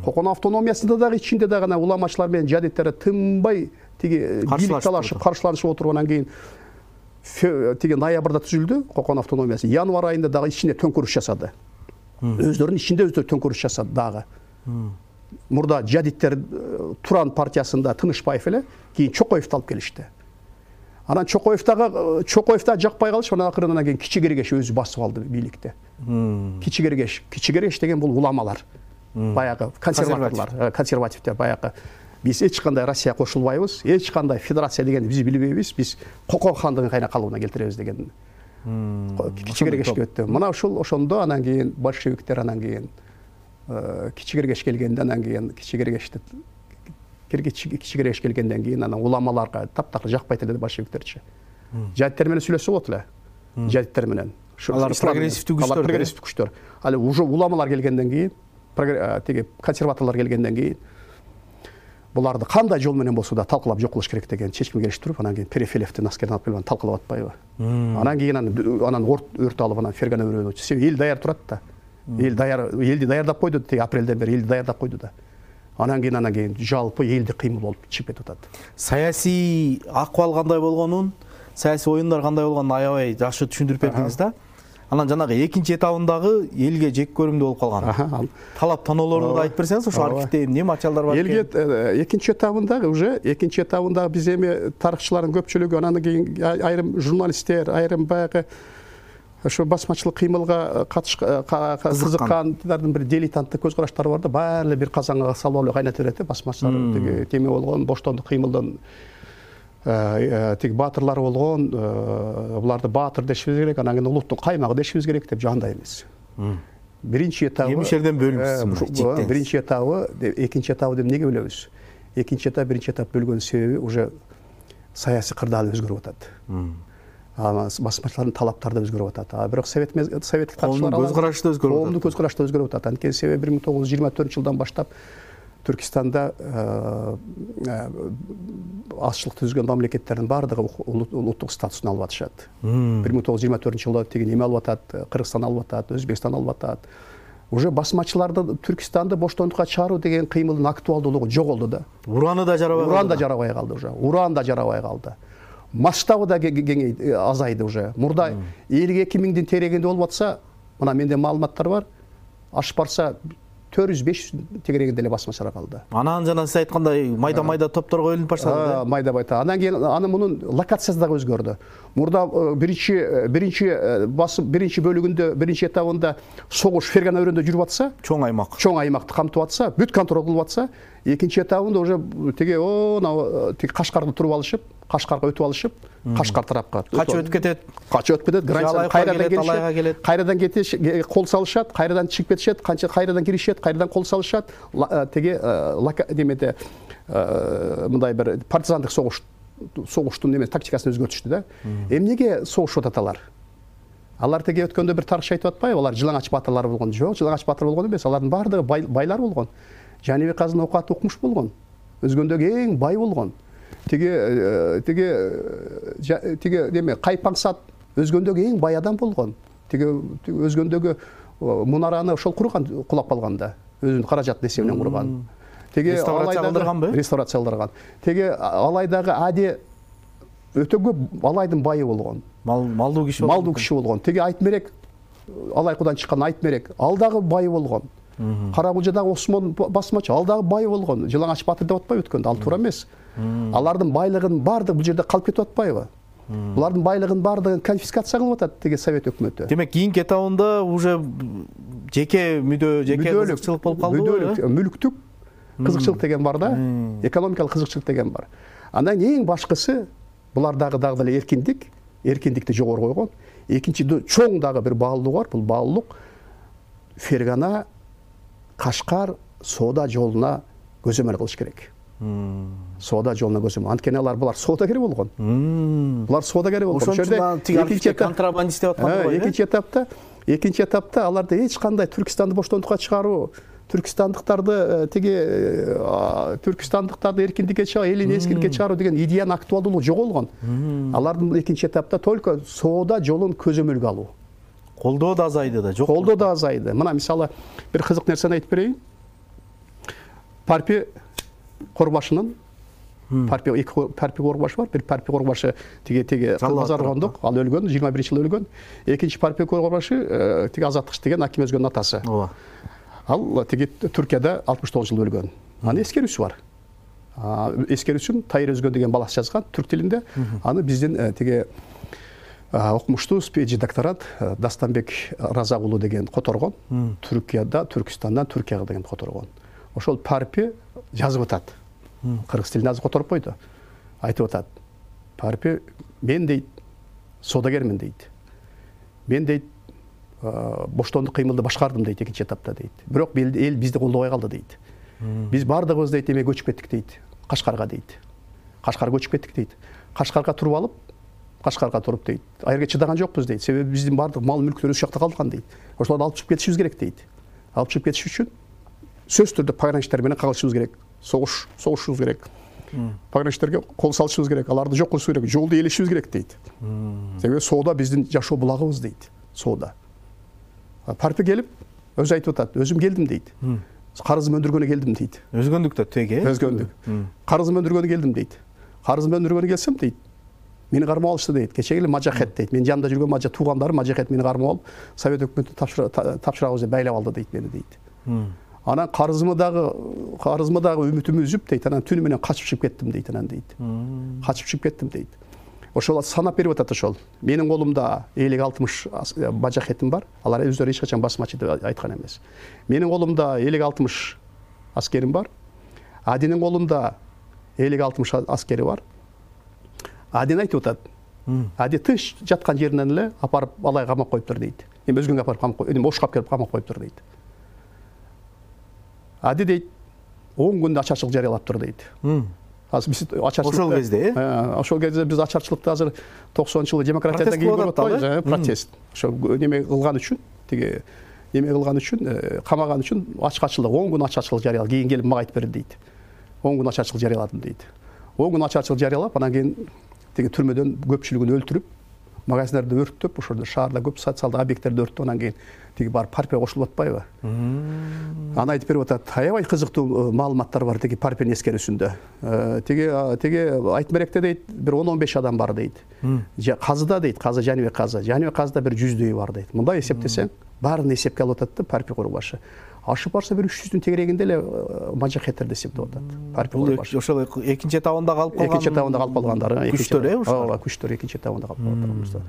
Кокон автономиясында дагы ичинде дагы анан уламачылар менен жадиттер тынбай тиги бийлик талашып, каршыланышып отуруп, анан кийин тиги ноябрда түзүлдү Кокон автономиясы. Январь айында дагы ичинде төңкөрүш жасады. Өздөрүнүн ичинде өздөрү төңкөрүш жасады дагы. Мурда жадиттер Туран партиясында Тынышбаев эле, кийин Чокоевди алып келишти. Анан Чокоев дагы Чокоев да жакпай калышып, анан акырын анан кийин Кичи Кергеш өзү басып алды бийликти. Кичи Кергеш, Кичи Кергеш деген бул уламалар. Баягы консерваторлор, консервативдер баягы. Биз эч кандай Россия кошулбайбыз, эч кандай федерация дегенди биз билбейбиз, биз Кокон хандыгын кайра калыбына келтиребиз деген Кичи Кергешке өттү. Мына ушул ошондо анан кийин большевиктер анан кийин Кичи Кергеш келгенде анан кийин Кичи Кергешти Кичи Кергеш келгенден кийин анан уламаларга таптакыр жакпайт эле большевиктерчи. Жадиттер менен сүйлөшсө болот эле. Жадиттер менен. Алар прогрессивдүү күчтөр. Алар прогрессивдүү күчтөр. Ал уже уламалар келгенден кийин, теги консерваторлор келгенден кийин буларды кандай жол менен болсо да талкуулап жок кылыш керек деген чечимге келиштирип, анан кийин Перефилевдин аскерин алып келип талкуулап атпайбы. Анан кийин анан өрт алып анан Фергана өрөөнү. Себеби эл даяр турат да. Эл даяр, элди даярдап койду, теги апрелден бери элди даярдап койду да. Анан кийин анан кийин жалпы элди кыймыл болуп чыгып кетип атат. Саясий акыбал кандай болгонун, саясий оюндар кандай болгонун аябай жакшы түшүндүрүп бердиңиз да. Анан жанагы экинчи этабындагы элге жек көрүмдүү болуп калган. Талап тоноолорду да айтып берсеңиз, ошо архивде эмне материалдар бар экен? Элге экинчи этабындагы уже экинчи этабындагы биз эми тарыхчылардын көпчүлүгү, анан кийин айрым журналисттер, айрым баягы ошо басмачылык кыймылга кызыккандардын бир дилетанттык көз караштары бар да, баары бир казанга салып алып кайнатып берет да, басмачылар тиги теме болгон, боштондук кыймылдын тиги баатырлары болгон, буларды баатыр дешибиз керек, анан кийин улуттун каймагы дешибиз керек деп жандай эмес. Биринчи этабы эмишерден бөлүнүп, биринчи этабы, экинчи этабы деп эмнеге бөлөбүз? Экинчи этап, биринчи этап бөлгөнүн себеби уже саясий кырдаал өзгөрүп атат. Басмачылардын талаптары да өзгөрүп атат. А бирок совет советтик тарыхчылар көз карашы да өзгөрүп атат. Коомдун көз карашы да өзгөрүп атат. Анткени себеби бир миң тогуз жүз жыйырма төртүнчү жылдан баштап Түркистанда азчылык түзгөн мамлекеттердин баардыгы улуттук статусун алып атышат. бир миң тогуз жүз жыйырма төртүнчү жылда тиги неме алып атат, Кыргызстан алып атат, Өзбекстан алып атат. Уже басмачыларды Түркистанды боштондукка чыгаруу деген кыймылдын актуалдуулугу жоголду да. Ураны да жарабай калды. Уран да жарабай калды уже. Уран да жарабай калды. Масштабы да кеңейди, азайды уже. Мурда элүү эки миңдин терегинде болуп атса, мына менде маалыматтар бар. Ашып барса төрт жүз беш жүз тегерегинде эле басмачылар калды. Анан жана сиз айткандай майда-майда топторго бөлүнүп баштады да. Майда-майда. Анан кийин аны мунун локациясы дагы өзгөрдү. Мурда биринчи биринчи басым биринчи бөлүгүндө, биринчи этабында согуш Фергана өрөөнүндө жүрүп атса, чоң аймак. Чоң аймакты камтып атса, бүт контроль кылып атса, экинчи этабында уже тиги о, тиги Кашкарды туруп алышып, Кашкарга өтүп алышып, Кашкар тарапка качып өтүп кетет. Качып өтүп кетет, граница кайрадан келишет, кайрадан кетиш, кол салышат, кайрадан чыгып кетишет, канча кайрадан киришет, кайрадан кол салышат, тиги немеде мындай бир партизандык согуш согуштун неме тактикасын өзгөртүштү да. Эмнеге согушуп атат алар? Алар теге өткөндө бир тарыхчы айтып атпайбы? Алар жылаңач баатырлар болгон. Жок, жылаңач баатыр болгон эмес. Алардын баардыгы байлар болгон. Жанибек Казын окуат укмуш болгон. Өзгөндөгү эң бай болгон. Теге теге теге неме Кайпаңсат өзгөндөгү эң бай адам болгон. Теге өзгөндөгү мунараны ошол курган, кулап калганда. Өзүнүн каражаты эсебинен курган. Теге алайдагы реставрация кылдырган. Теге алайдагы Ади өтө көп алайдын байы болгон. Малдуу киши болгон. Малдуу киши болгон. Теге Айтмерек Алайкудан чыккан Айтмерек ал дагы бай болгон. Каракулжадагы Осмон басмачы ал дагы бай болгон. Жылаңач баатыр деп атпайбы өткөндө? Ал туура эмес. Алардын байлыгын баардыгы бул жерде калып кетип атпайбы? Булардын байлыгын баардыгын конфискация кылып атат теге совет өкмөтү. Демек, кийинки этабында уже жеке мүдө, жеке кызыкчылык болуп калды. Мүлүктүк кызыкчылык деген бар да, экономикалык кызыкчылык деген бар. Андан эң башкысы булардагы дагы эле эркиндик, эркиндикти жогору койгон. Экинчи чоң дагы бир баалуулук бар. Бул баалуулук Фергана, Кашкар соода жолуна көзөмөл кылыш керек. Соода жолуна көзөмөл. Анткени алар булар соодагер болгон. Булар соодагер болгон. Ошондо экинчи контрабандист деп аткандар бар. Экинчи этапта, экинчи этапта аларда эч кандай Түркистанды боштондукка чыгаруу, Түркистандыктарды теге Түркистандыктарды эркиндикке чыгаруу, элин эскиндикке чыгаруу деген идеянын актуалдуулугу жоголгон. Алардын экинчи этапта только соода жолун көзөмөлгө алуу. Колдоо да азайды да, жок. Колдоо да азайды. Мына мисалы бир кызык нерсени айтып берейин. Парпи Корбашынын Парпи эки Парпи Корбаш бар. Бир Парпи Корбашы теге теге Казаргондук, ал өлгөн, жыйырма биринчи жылы өлгөн. Экинчи Парпи Корбашы теге Азаттык деген Аким Өзгөнүн атасы. Ооба. Ал теге Түркияда алтымыш тогузунчу жылы өлгөн. Анын эскерүүсү бар. Эскерүүсүн Тайыр Өзгөн деген баласы жазган түрк тилинде. Аны биздин теге окумуштуу спеджи докторант Дастанбек Разак уулу деген которгон. Түркияда, Түркистандан Түркияга деген которгон. Ошол Парпи жазып атат. Кыргыз тилинде азыр которуп койду. Айтып атат. Парпи мен дейт, соодагермин дейт. мен дейт боштондук кыймылды башкардым дейт экинчи этапта дейт. Бирок эл бизди колдобой калды дейт. Биз бардыгыбыз дейт эме көчүп кеттик дейт. Кашкарга дейт. Кашкарга көчүп кеттик дейт. Кашкарга туруп алып, Кашкарга туруп дейт. Айырга чыдаган жокпуз дейт. Себеби биздин бардык мал мүлктөр өз жакта калган дейт. Ошолорду алып чыгып кетишибиз керек дейт. Алып чыгып кетиш үчүн сөзсүз түрдө пограничтер менен кагылышыбыз керек. Согуш, согушубуз керек. Пограничтерге кол салышыбыз керек. Аларды жок кылышыбыз керек. Жолду ээлешибиз керек дейт. Себеби соода биздин жашоо булагыбыз дейт. Соода. Парпе келип өзү айтып атат. Өзүм келдим дейт. Карызымды өндүргөнү келдим дейт. Өзгөндүк да теге. Өзгөндүк. Карызымды өндүргөнү келдим дейт. Карызымды өндүргөнү келсем дейт. Мени кармап алышты дейт. Кечеги эле Мажахет дейт. Менин жанымда жүргөн мажа туугандарым Мажахет мени кармап алып, Совет өкмөтүнө тапшырабыз деп байлап алды дейт мени дейт. Анан карызымы дагы карызымы дагы үмүтүмү үзүп дейт. Анан түнү менен качып чыгып кеттим дейт анан дейт. Качып чыгып кеттим дейт. Ошол санап берип атат ошол. Менин колумда элүү алтымыш Мажахетим бар. Алар өздөрү эч качан басмачы деп айткан эмес. Менин колумда элүү алтымыш аскерим бар. Адинин колунда элүү алтымыш аскери бар. Адин айтып атат. Ади тынч жаткан жеринен эле апарып алай камап коюптур дейт. Эми өзгөнгө апарып камап коюп, эми ошкап келип камап коюптур дейт. Ади дейт, он күндө ачарчылык жарыялаптыр дейт. Азыр биз ачарчылык ошол кезде, э? Ошол кезде биз ачарчылыкты азыр токсонунчу жылы демократиядан кийин көрүп атпайбызбы? Протест. Ошо неме кылган үчүн, тиги неме кылган үчүн, камаган үчүн ачкачылык, он күн ачарчылык жарыялап, кийин келип мага айтып берди дейт. он күн ачарчылык жарыяладым дейт. он күн ачарчылык жарыялап, анан кийин тиги түрмөдөн көпчүлүгүн өлтүрүп, магазиндерди өрттөп, ошолордо шаарда көп социалдык объекттерди өрттөп, анан кийин тиги барып Парпе кошулуп атпайбы? Аны айтып берип атат. Аябай кызыктуу маалыматтар бар тиги Парпенин эскерүүсүндө. Тиги тиги Айтмеректе дейт, бир он он беш адам бар дейт. Казыда дейт, Казы Жаныбек Казы. Жаныбек Казыда бир жүздөй бар дейт. Мындай эсептесең, баарын эсепке алып атат да Парпе курулушу. Ашып барса бир үч жүздүн тегерегинде эле Мажахеттерди эсептеп атат. Парпе курулушу. Ошол экинчи этабында калып калган. Экинчи этабында калып калгандар, күчтөр э, ошо. Ооба, күчтөр экинчи этабында калып калгандар.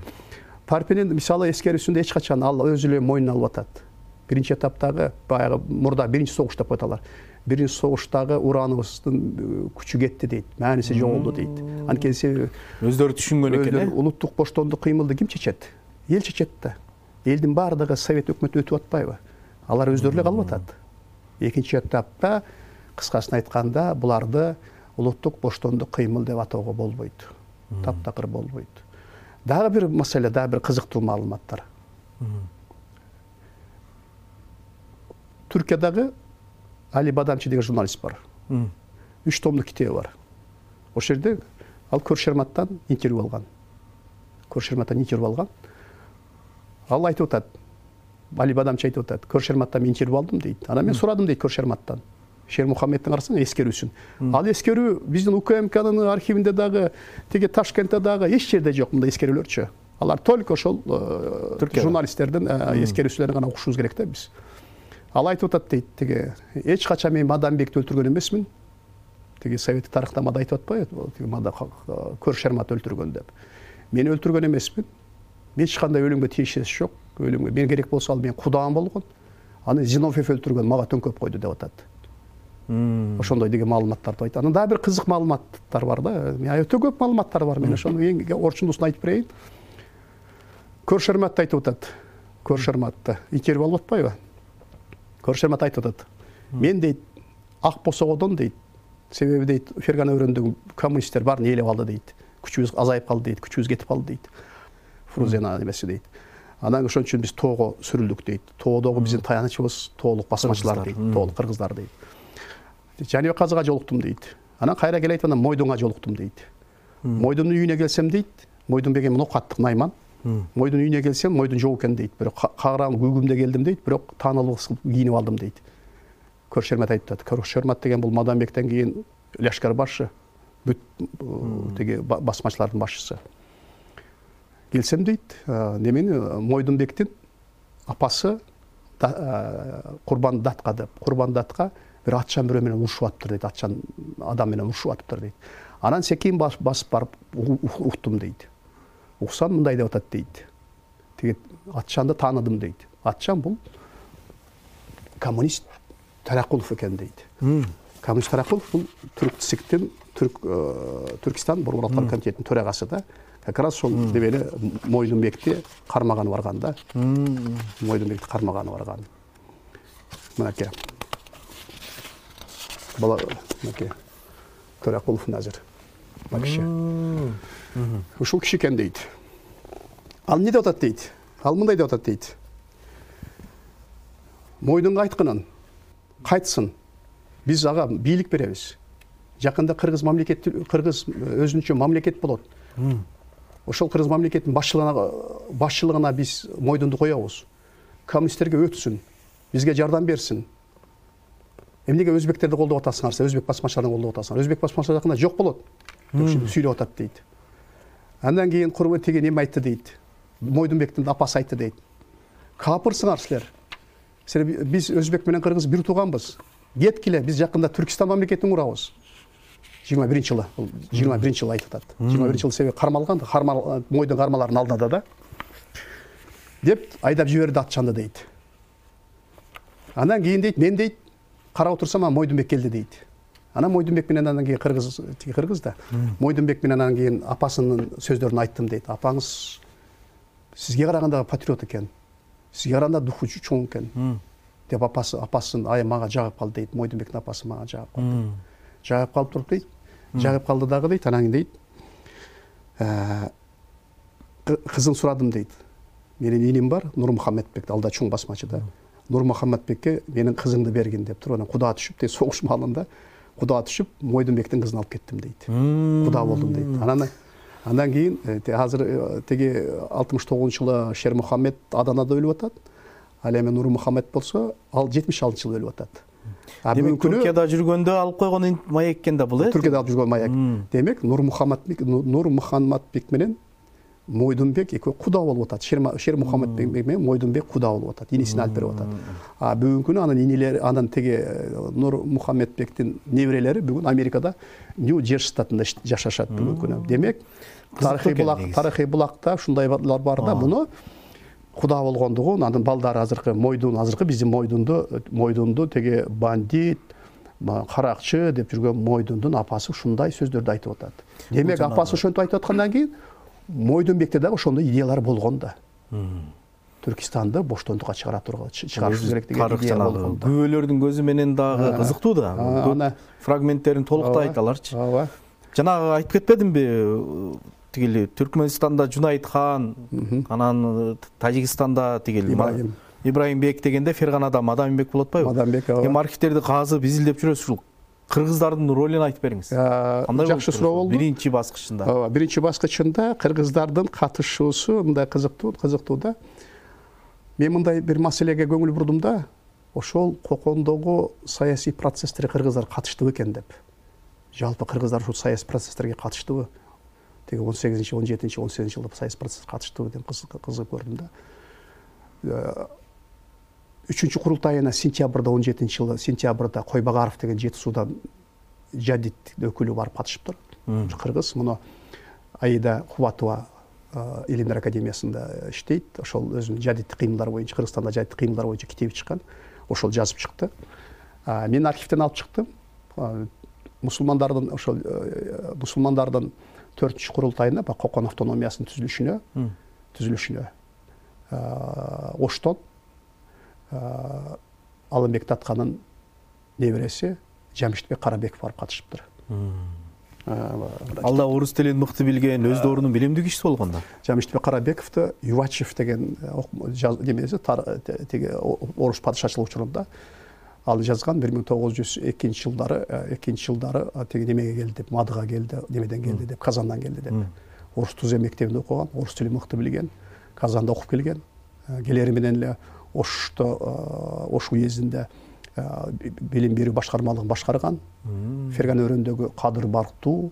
Парпенин мисалы эскерүүсүндө эч качан ал өзү эле мойнуна алып атат. Биринчи этаптагы баягы мурда биринчи согуш деп коеталар. Биринчи согуштагы ураныбыздын күчү кетти дейт, мааниси жоголду дейт. Анткени себеби өздөрү түшүнгөн экен э. Улуттук боштондук кыймылды ким чечет? Эл чечет да. Элдин баардыгы Совет өкмөтү өтүп атпайбы? Алар өздөрү эле калып атат. Экинчи этапта кыскасын айтканда буларды улуттук боштондук кыймыл деп атоого болбойт. Таптакыр болбойт. Дагы бир маселе, дагы бир кызыктуу маалыматтар. Түркиядагы Али Бадамчы деген журналист бар. Үч томдук китеби бар. Ошол жерде ал Көршерматтан интервью алган. Көршерматтан интервью алган. Ал айтып атат. Али Бадамчы айтып атат. Көршерматтан мен интервью алдым дейт. Анан мен сурадым дейт Көршерматтан. Шер Мухаммедтин карасаң эскерүүсүн. Ал эскерүү биздин УКМКнын архивинде дагы, тиги Ташкентте дагы эч жерде жок мындай эскерүүлөрчү. Алар только ошол журналисттердин эскерүүсүлөрүн гана окушубуз керек да биз. Ал айтып атат дейт, тиги эч качан мен Мадамбекти өлтүргөн эмесмин. Тиги советтик тарыхтамада айтып атпайбы? Тиги Мада Көршермат өлтүргөн деп. Мени өлтүргөн эмесмин. Эч кандай өлүмгө тийишеси жок. Өлүмгө мен керек болсо ал менин кудаам болгон. Аны Зиновьев өлтүргөн, мага төңкөп койду деп атат. Ошондой деген маалыматтарды айтат. Анан дагы бир кызык маалыматтар бар да. Өтө көп маалыматтар бар. Мен ошону эң орчундусун айтып берейин. Көршерматты айтып атат. Көршерматты интервью алып атпайбы? Көршермат айтып атат. Мен дейт ак босогодон дейт. Себеби дейт Фергана өрөөндөгү коммунисттер баарын ээлеп алды дейт. Күчүбүз азайып калды дейт, күчүбүз кетип калды дейт. Фрузена эмеси дейт. Анан ошон үчүн биз тоого сүрүлдүк дейт. Тоодогу биздин таянычыбыз тоолук басмачылар дейт, тоолук кыргыздар дейт. Жаныбек Казыга жолуктум дейт. Анан кайра келет анан Мойдунга жолуктум дейт. Мойдундун үйүнө келсем дейт, Мойдун беген мунокаттык найман. Мойдун үйүнө келсем, Мойдун жок экен дейт. Бирок кагыран күйгүмдө келдим дейт, бирок таанылуу кийинип алдым дейт. Көршермат айтып атат. Көршермат деген бул Мадамбектен кийин лашкар башы, бүт тиги басмачылардын башчысы. Келсем дейт, немени Мойдунбектин апасы Курбан Датка деп, Курбан Датка бир атчан бирөө менен урушуп атыптыр дейт, атчан адам менен урушуп атыптыр дейт. Анан секин басып барып уктум дейт. Уксам мындай деп атат дейт. Тиги атчанды тааныдым дейт. Атчан бул коммунист Таракулов экен дейт. Коммунист Таракулов бул түрк ЦИКтин, Түрк Түркистан Борбор Улуттар комитетинин төрагасы да. как раз сол дебели Мойдунбекти кармаганы барган да. Мойдунбекти кармаганы барган. Мынакей. Бала мынакей. Төрөкулов Назир. Макши. Ушул киши экен дейт. Ал эмне деп атат дейт? Ал мындай деп атат дейт. Мойдунга айтканын кайтсын. Биз ага бийлик беребиз. Жакында кыргыз мамлекет, кыргыз өзүнчө мамлекет болот. Ошол кыргыз мамлекеттин башчылыгына башчылыгына биз Мойдунду коебуз. Коммунисттерге өтсүн, бизге жардам берсин. Эмнеге өзбектерди колдоп атасыңар, өзбек басмачыларын колдоп атасыңар? Өзбек басмачылары жакында жок болот. Деп сүйлөп атат дейт. Андан кийин курбан теген эме айтты дейт. Мойдунбектин апасы айтты дейт. Капырсыңар силер. Силер биз өзбек менен кыргыз бир тууганбыз. Кеткиле, биз жакында Түркистан мамлекетин курабыз. жыйырма биринчи жылы, жыйырма биринчи жылы айтып атат. жыйырма биринчи жылы себеби кармалган, кармал Мойдун кармаларын алдында да. Деп айдап жиберди атчанды дейт. Андан кийин дейт, мен дейт, карап отурсам Мойдунбек келди дейт. Анан Мойдунбек менен андан кийин кыргыз, тиги кыргыз да. Мойдунбек менен андан кийин апасынын сөздөрүн айттым дейт. Апаңыз сизге караганда патриот экен. Сизге караганда духу чоң экен. Деп апасы, апасын ай мага жагып калды дейт. Мойдунбектин апасы мага жагып калды. Жагып калып туруп дейт. Жагып калды дагы дейт. Анан дейт. Кызын сурадым дейт. Менин иним бар, Нурмухаммедбек, алда чоң басмачы да. Нурмухаммедбекке менин кызымды бергин деп туруп, анан куда түшүп, дейт, согуш маалында куда түшүп, Мойдунбектин кызын алып кеттим дейт. Куда болдум дейт. Анан андан кийин азыр теги алтымыш тогузунчу жылы Шер Мухаммед Аданада өлүп атат. Ал эми Нурмухаммед болсо, ал жетимиш алтынчы жылы өлүп атат. Демек Түркияда жүргөндө алып койгон маяк экен да бул, э? Түркияда алып жүргөн маяк. Демек Нурмухаммедбек Нурмухаммедбек менен Мойдунбек экөө куда болуп атат. Шер Мухаммедбек менен Мойдунбек куда болуп атат. Инисин алып берип атат. А бүгүнкү күнү анын инелери, анын теги Нурмухаммедбектин неберелери бүгүн Америкада Нью-Джерси штатында жашашат бүгүнкү күнү. Демек тарыхый булак, тарыхый булакта ушундайлар бар да. Муну куда болгондугун, анын балдары азыркы Мойдун, азыркы биздин Мойдунду, Мойдунду теги бандит, каракчы деп жүргөн Мойдундун апасы ушундай сөздөрдү айтып атат. Демек апасы ошентип айтып аткандан кийин Мойдунбекте дагы ошондой идеялар болгон да. Түркистанды боштондукка чыгара турган, чыгарыш керек деген идея болгон да. Күбөлөрдүн көзү менен дагы кызыктуу да. Фрагменттерин толуктай айталарчы. Ооба. Жанагы айтып кетпедимби? Тигили Түркмөнстанда Жунайт хан, анан Тажикстанда тигили Ибраимбек дегенде Ферганада Мадамбек болот атпайбы? Мадамбек. Эми архивтерди казып, изилдеп жүрөсүз. Ушул кыргыздардын ролун айтып бериңиз. Кандай жакшы суроо болду. Биринчи баскычында. Ооба, биринчи баскычында кыргыздардын катышуусу мындай кызыктуу, кызыктуу да. Мен мындай бир маселеге көңүл бурдум да, ошол кокондогу саясий процесстерге кыргыздар катыштыбы экен деп. Жалпы кыргыздар ушул саясий процесстерге катыштыбы? Теги он сегизинчи, он жетинчи, он сегизинчи жылда саясий процесске катыштыбы деп кызык көрдүм да. Үчүнчү курултайына сентябрда, он жетинчи жылы сентябрда Койбагаров деген Жети Суудан жадид өкүлү барып катышыптыр. Кыргыз муну Аида Кубатова Илимдер академиясында иштейт. Ошол өзүнүн жадиддик кыймылдар боюнча, Кыргызстанда жадиддик кыймылдар боюнча китеби чыккан. Ошол жазып чыкты. Мен архивден алып чыктым. Мусулмандардын ошол мусулмандардын төртүнчү курултайына, Кокон автономиясынын түзүлүшүнө, түзүлүшүнө Оштон Алымбек Татканын небереси Жамиштбек Карабеков барып катышыптыр. Ал да орус тилин мыкты билген, өз доорунун билимдүү кишиси болгон да. Жамиштбек Карабековду Ювачев деген немеси теги орус падышачылык учурунда ал жазган бир миң тогуз жүз экинчи жылдары, экинчи жылдары теги немеге келди деп, Мадыга келди, немеден келди деп, Казандан келди деп. Орус Тузем мектебинде окуган, орус тилин мыкты билген, Казанда окуп келген. Келери менен эле Ошто, Ош уездинде билим берүү башкармалыгын башкарган. Ферган өрөөндөгү кадыр барктуу,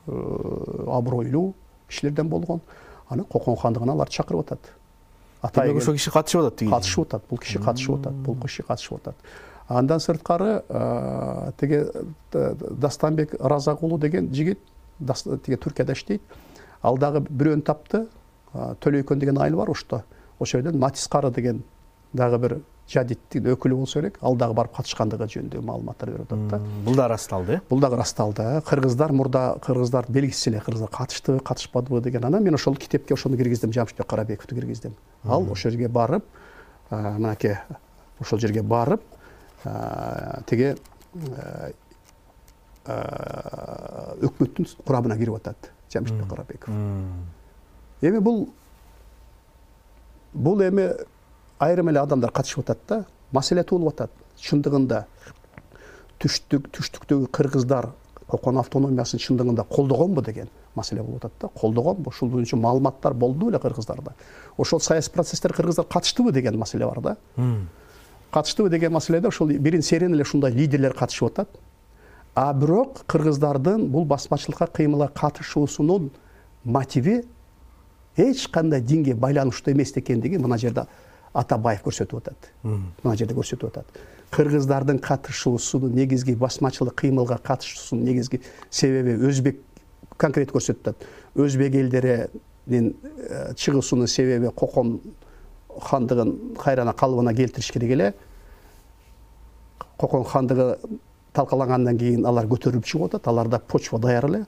абройлуу кишилерден болгон. Аны Кокон хандыгына аларды чакырып атат. Атайын ошол киши катышып атат тиги. Катышып атат, бул киши катышып атат, бул киши катышып атат. Андан сырткары теге Дастанбек Разакулу деген жигит теге Түркияда иштейт. Ал дагы бирөөнү тапты. Төлөйкөн деген айыл бар Ошто. Ошол жерден Матис Кары деген дагы бир жадиттин өкүлү болсо керек, ал дагы барып катышкандыгы жөнүндө маалыматтар берип атат да. Бул да ырасталды. Бул дагы ырасталды. Кыргыздар мурда кыргыздар белгисиз эле кыргыздар катыштыбы, катышпадыбы деген. Анан мен ошол китепке ошону киргиздим, Жамшитбек Карабековду киргиздим. Ал ошол жерге барып, мынакей ошол жерге барып, тиги өкмөттүн курамына кирип атат Жамшитбек Карабеков. Эми бул бул эми айрым эле адамдар катышып атат да, маселе туулуп атат. Чындыгында түштүк түштүктөгү кыргыздар Кокон автономиясын чындыгында колдогонбу деген маселе болуп атат да. Колдогонбу? Ушул боюнча маалыматтар болду беле кыргыздарда? Ошол саясий процесстер кыргыздар катыштыбы деген маселе бар да. Катыштыбы деген маселеде ошол бирин серин эле ушундай лидерлер катышып атат. А бирок кыргыздардын бул басмачылыкка кыймылга катышуусунун мотиви эч кандай динге байланыштуу эмес экендиги мына жерде Атабаев көрсөтүп атат. Мына жерде көрсөтүп атат. Кыргыздардын катышуусунун негизги басмачылык кыймылга катышуусунун негизги себеби өзбек конкрет көрсөтүп атат. Өзбек элдеринин чыгуусунун себеби Кокон хандыгын кайрана калыбына келтириш керек эле. Кокон хандыгы талкалангандан кийин алар көтөрүлүп чыгып атат. Аларда почва даяр эле.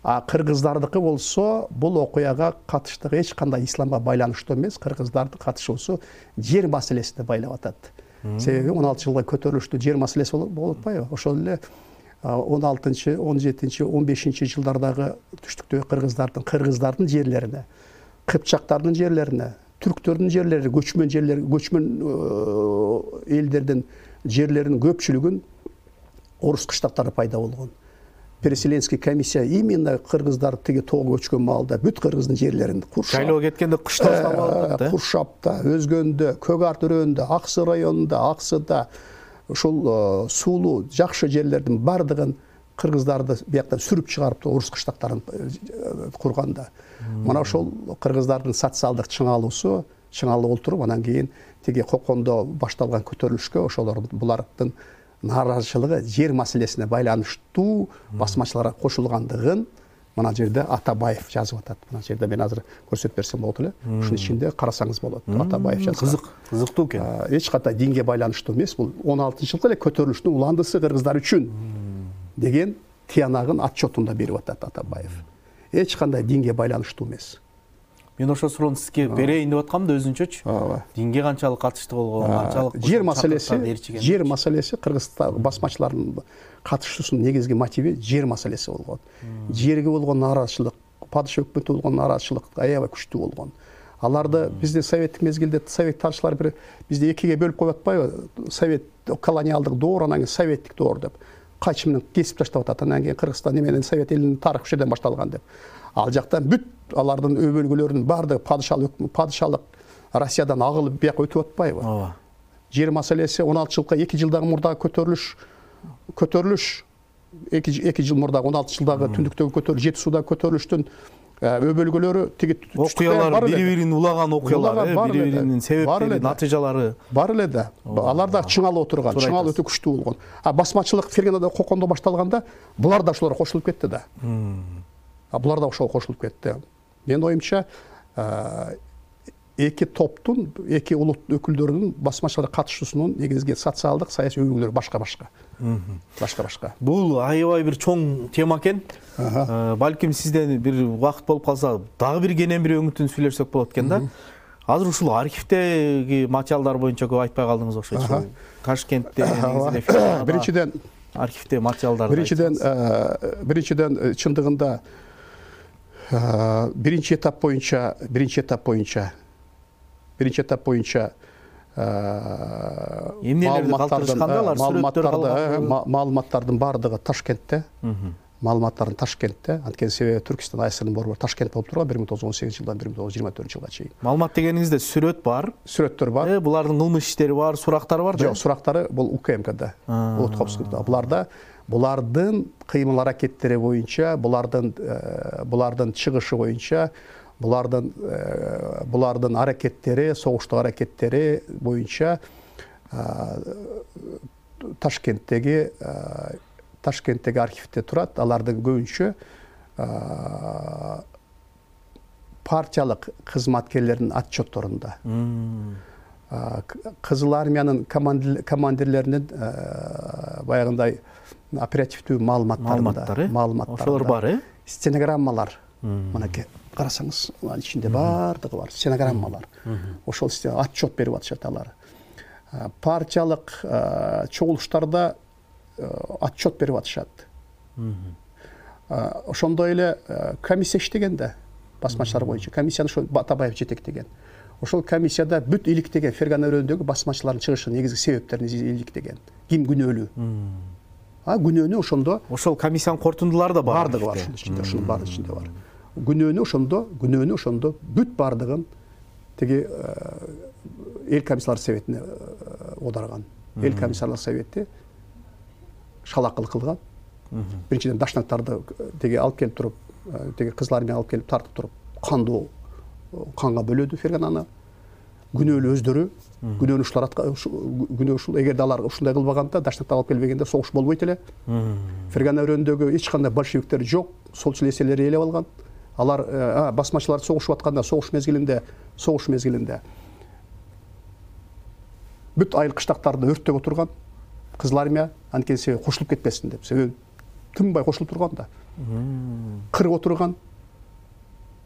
А кыргыздардыкы болсо бул окуяга катыштыгы эч кандай исламга байланыштуу эмес. Кыргыздардын катышуусу жер маселесине байлап атат. Себеби он алты жылга көтөрүлүштүү жер маселеси болуп атпайбы? Ошол эле он алтынчы, он жетинчи, он бешинчи жылдардагы түштүктөгү кыргыздардын кыргыздардын жерлерине, кыпчактардын жерлерине, түрктөрдүн жерлери, көчмөн жерлер, көчмөн элдердин жерлеринин көпчүлүгүн орус кыштактары пайда болгон. Переселенский комиссия именно кыргыздар тиги тоого көчкөн маалда бүт кыргыздын жерлерин Куршап, шайлоого кеткенде кыштап алып да. Куршапта, Өзгөндө, Көк Ар төрөөнүндө, Аксы районунда, Аксыда ушул суулуу жакшы жерлердин бардыгын кыргыздарды бияктан сүрүп чыгарып орус кыштактарын курганда. Мына ошол кыргыздардын социалдык чыңалуусу, чыңалып олтуруп анан кийин тиги Кокондо башталган көтөрүлүшкө ошолор булардын нааразычылыгы жер маселесине байланыштуу басмачыларга кошулгандыгын мына жерде Атабаев жазып атат. Мына жерде мен азыр көрсөтүп берсем болот эле. Ушунун ичинде карасаңыз болот. Атабаев жазган. Кызык, кызыктуу экен. Эч кандай динге байланыштуу эмес. Бул он алтынчы жылкы эле көтөрүлүштүн уландысы кыргыздар үчүн деген тиянагын отчетунда берип атат Атабаев. Эч кандай динге байланыштуу эмес. Мен ошол суроону сизге берейин деп аткам да өзүнчөчү. Динге канчалык катышты болгон, канчалык жер маселеси, жер маселеси кыргызстан басмачылардын катышуусунун негизги мотиви жер маселеси болгон. Жерге болгон нааразычылык, падыша өкмөтү болгон нааразычылык аябай күчтүү болгон. Аларды бизде советтик мезгилде совет тарыхчылар бир бизде экиге бөлүп коюп атпайбы? Совет колониалдык доор, анан кийин советтик доор деп. Кайчы менен кесип таштап атат. Анан кийин Кыргызстан эменен совет элинин тарыхы ушул жерден башталган деп. Ал жактан бүт алардын өбөлгөлөрүнүн бардыгы падышалык падышалык Россиядан агылып бияка өтүп атпайбы? Ооба. Жер маселеси он алты жылга эки жылдагы мурдагы көтөрүлүш көтөрүлүш эки жыл мурдагы он алты жылдагы түндүктөгү көтөрүлүш, Жети сууда көтөрүлүштүн өбөлгөлөрү тиги окуялар бири-бирин улаган окуялар, бири-биринин себептери, натыйжалары бар эле да. Алар да чыңалып отурган, чыңалып өтө күчтүү болгон. А басмачылык Ферганада Кокондо башталганда булар да ошолорго кошулуп кетти да. А булар да ошого кошулуп кетти. Менин оюмча эки топтун, эки улут өкүлдөрүнүн басмачылыкка катышуусунун негизги социалдык, саясий өбөлгөлөрү башка-башка. Башка-башка. Бул аябай бир чоң тема экен. Балким сизден бир убакыт болуп калса, дагы бир кенен бир өңүтүн сүйлөшсөк болот экен да. Азыр ушул архивдеги материалдар боюнча көп айтпай калдыңыз окшойт. Ташкентте негизинен биринчиден архивде материалдар. Биринчиден биринчиден чындыгында биринчи этап боюнча, биринчи этап боюнча биринчи этап боюнча эмнелерди калтырышканда алар сүрөттөрдү маалыматтардын бардыгы Ташкентте. Маалыматтардын Ташкентте. Анткени себеби Түркистан АСРнын борбору Ташкент болуп турган бир миң тогуз жүз он сегизинчи жылдан бир миң тогуз жүз жыйырма төртүнчү жылга чейин. Маалымат дегениңизде сүрөт бар, сүрөттөр бар. Булардын кылмыш иштери бар, сурактары бар да? Жок, сурактары бул УКМКда. Утковскийда. Буларда булардын кыймыл аракеттери боюнча, булардын булардын чыгышы боюнча, булардын булардын аракеттери, согуштук аракеттери боюнча Ташкенттеги Ташкенттеги архивде турат. Алардын көбүнчө партиялык кызматкерлердин отчетторунда. Кызыл армиянын командирлеринин баягындай оперативдүү маалыматтарында маалыматтары ошолор бар, э? Стенограммалар. Мынакей карасаңыз, анын ичинде бардыгы бар, стенограммалар. Ошол отчет берип атышат алар. Партиялык чогулуштарда отчет берип атышат. Ошондой эле комиссия иштеген да, басмачылар боюнча. Комиссияны ошо Батабаев жетектеген. Ошол комиссияда бүт иликтеген Фергана өрөөнүндөгү басмачылардын чыгышынын негизги себептерин иликтеген. Ким күнөөлүү? А күнөөнү ошондо ошол комиссиянын кортундулары да бар. Бардыгы бар ошонун ичинде, ошонун бардыгы ичинде бар. Күнөөнү ошондо, күнөөнү ошондо бүт бардыгын тиги эл комиссарлар советине оодарган. Эл комиссарлар совети шалакыл кылган. Биринчиден дашнактарды теге алып келип туруп, теге кызыл армия алып келип тартып туруп, кандуу канга бөлөдү Фергананы. Күнөөлүү өздөрү, күнөөнү ушулар күнөө ушул эгерде алар ушундай кылбаганда, дашнактар алып келбегенде согуш болбойт эле. Фергана өрөөнүндөгү эч кандай большевиктер жок, солчул эселер ээлеп алган. Алар басмачылар согушуп атканда, согуш мезгилинде, согуш мезгилинде бүт айыл кыштактарды өрттөп отурган. Кызыл армия анткени себеби кошулуп кетпесин деп. Себеби тынбай кошулуп турган да. Кырып отурган.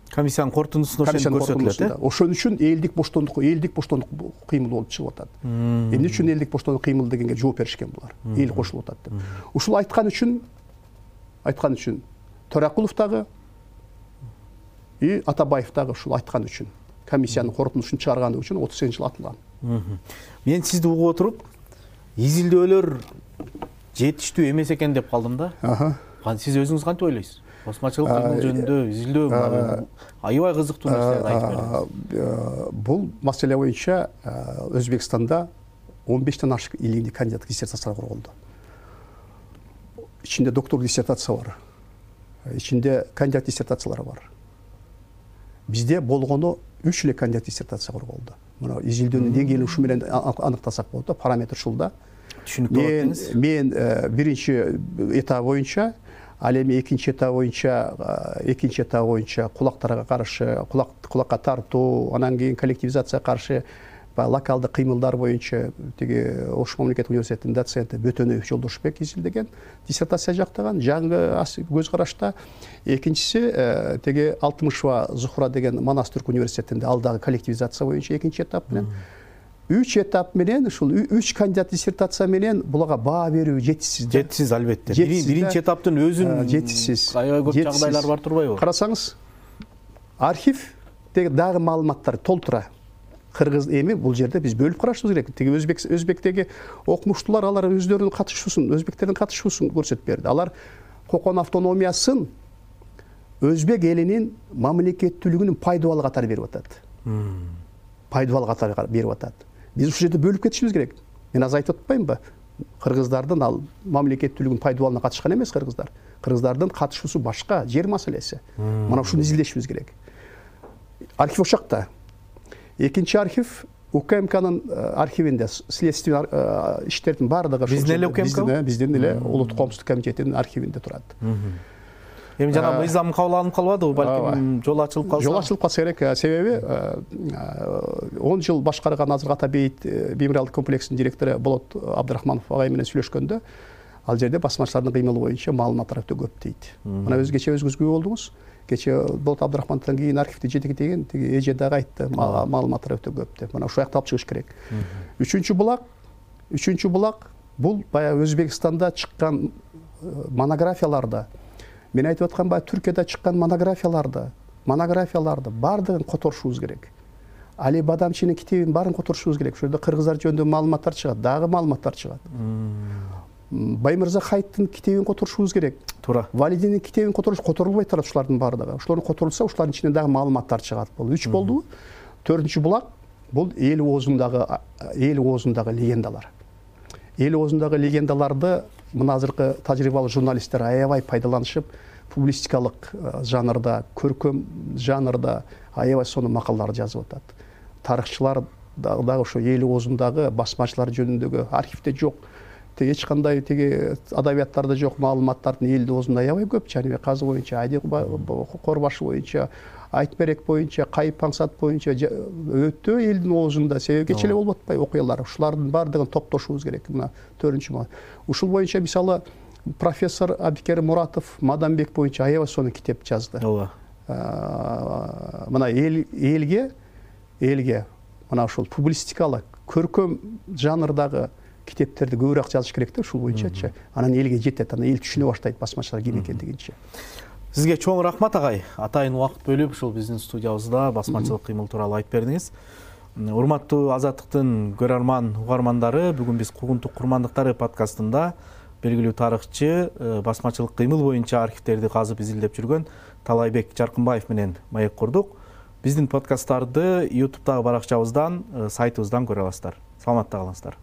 Комиссиянын кортундусунда ошону көрсөтүлөт, э? Ошон үчүн элдик боштондук, элдик боштондук кыймыл болуп чыгып атат. Эмне үчүн элдик боштондук кыймыл дегенге жооп беришкен булар. Эл кошулуп атат деп. Ушул айткан үчүн, айткан үчүн Төрөкулов дагы и Атабаев дагы ушул айткан үчүн, комиссиянын корутундусун чыгарганы үчүн отуз сегизинчи жылы атылган. Мен сизди угуп отуруп, изилдөөлөр жетиштүү эмес экен деп калдым да. Сиз өзүңүз кантип ойлойсуз? Басмачылык кыймыл жөнүндө изилдөө аябай кызыктуу нерселерди айтып бердиңиз. Бул маселе боюнча Өзбекстанда он бештен ашык илимдик кандидаттык диссертациялар корголду. Ичинде докторлук диссертация бар. Ичинде кандидат диссертациялары бар. Бизде болгону үч эле кандидат диссертация корголду. Мына изилдөөнүн деңгээлин ушу менен аныктасак болот да, параметр ушул да. Түшүнүктүү болот деңиз. Мен биринчи этап боюнча, ал эми экинчи этап боюнча, экинчи этап боюнча кулактарга каршы, кулак кулакка тартуу, анан кийин коллективизацияга каршы локалдык кыймылдар боюнча теги Ош мамлекеттик университетинин доценти Бөтөнөев Жолдошбек изилдеген, диссертация жактаган. Жаңы көз карашта экинчиси теги Алтымышева Зухра деген Манас түрк университетинде, ал дагы коллективизация боюнча экинчи этап менен. Үч этап менен, ушул үч кандидат диссертация менен буларга баа берүү жетишсиз. Жетишсиз албетте. Биринчи этаптын өзүн жетишсиз. Аябай көп жагдайлар бар турбайбы? Карасаңыз, архив деги дагы маалыматтар толтура. Кыргыз эми бул жерде биз бөлүп карашыбыз керек. Теги өзбек өзбектеги окумуштуулар алар өздөрүнүн катышуусун, өзбектердин катышуусун көрсөтүп берди. Алар Кокон автономиясын өзбек элинин мамлекеттүүлүгүнүн пайдубал катары берип атат. Пайдубал катары берип атат. Биз ушул жерде бөлүп кетишибиз керек. Мен азыр айтып атпаймынбы? Кыргыздардын ал мамлекеттүүлүгүнүн пайдубалына катышкан эмес кыргыздар. Кыргыздардын катышуусу башка, жер маселеси. Мына ушуну изилдешибиз керек. Архив ошакта. Экинчи архив УКМКнын архивинде, следственный иштердин бардыгы биздин эле УКМК, биздин эле Улуттук коомсуздук комитетинин архивинде турат. Эми жана мыйзам кабыл алынып калбадыбы, балким жол ачылып калса? Жол ачылып калса керек, себеби он жыл башкарган азыр Атабейит мемориалдык комплексинин директору Болот Абдрахманов агай менен сүйлөшкөндө, ал жерде басмачылардын кыймылы боюнча маалыматтар өтө көп дейт. Мына өз кече өзүңүз күбө болдуңуз. Кече Болот Абдрахмановдон кийин архивди жетектеген тиги эже дагы айтты, маалыматтар өтө көп деп. Мына ушул жакта алып чыгыш керек. Үчүнчү булак, үчүнчү булак бул баягы Өзбекстанда чыккан монографияларда, мен айтып аткан баягы Түркияда чыккан монографияларды, монографияларды бардыгын которушубуз керек. Али Бадамчинин китебин баарын которушубуз керек. Ошол жерде кыргыздар жөнүндө маалыматтар чыгат, дагы маалыматтар чыгат. Баймырза Хайттын китебин которушубуз керек. Туура. Валидинин китебин которуш которулбай турат ушулардын баардыгы. Ошолорду которулса, ушулардын ичинен дагы маалыматтар чыгат. Бул үч болду. Төртүнчү булак бул эл оозундагы эл оозундагы легендалар. Эл оозундагы легендаларды мына азыркы тажрыйбалуу журналисттер аябай пайдаланышып, публистикалык жанрда, көркөм жанрда аябай сонун макалалар жазып атат. Тарыхчылар дагы ошо эл оозундагы басмачылар жөнүндөгү архивде жок тиги эч кандай тиги адабияттарда жок маалыматтардын элдин оозунда аябай көп. Жаныбек Казы боюнча, Айдык Корбашы боюнча, Айтберек боюнча, Кайып Паңсат боюнча өтө элдин оозунда. Себеби кече эле болуп атпайбы окуялар. Ушулардын баардыгын топтошубуз керек. Мына төртүнчү мал. Ушул боюнча мисалы профессор Абдикерим Муратов Маданбек боюнча аябай сонун китеп жазды. Ооба. Мына эл элге элге мына ушул публистикалык, көркөм жанрдагы китептерди көбүрөөк жазыш керек да ушул боюнчачы. Анан элге жетет, анан эл түшүнө баштайт басмачылар ким экендигинчи. Сизге чоң рахмат агай. Атайын убакыт бөлүп ушул биздин студиябызда басмачылык кыймыл тууралуу айтып бердиңиз. Урматтуу Азаттыктын көрөрман угармандары, бүгүн биз Куугунтук курмандыктары подкастында белгилүү тарыхчы, басмачылык кыймыл боюнча архивтерди казып изилдеп жүргөн Талайбек Жаркынбаев менен маек курдук. Биздин подкасттарды ютубтагы баракчабыздан, сайтыбыздан көрө аласыздар. Саламатта калыңыздар.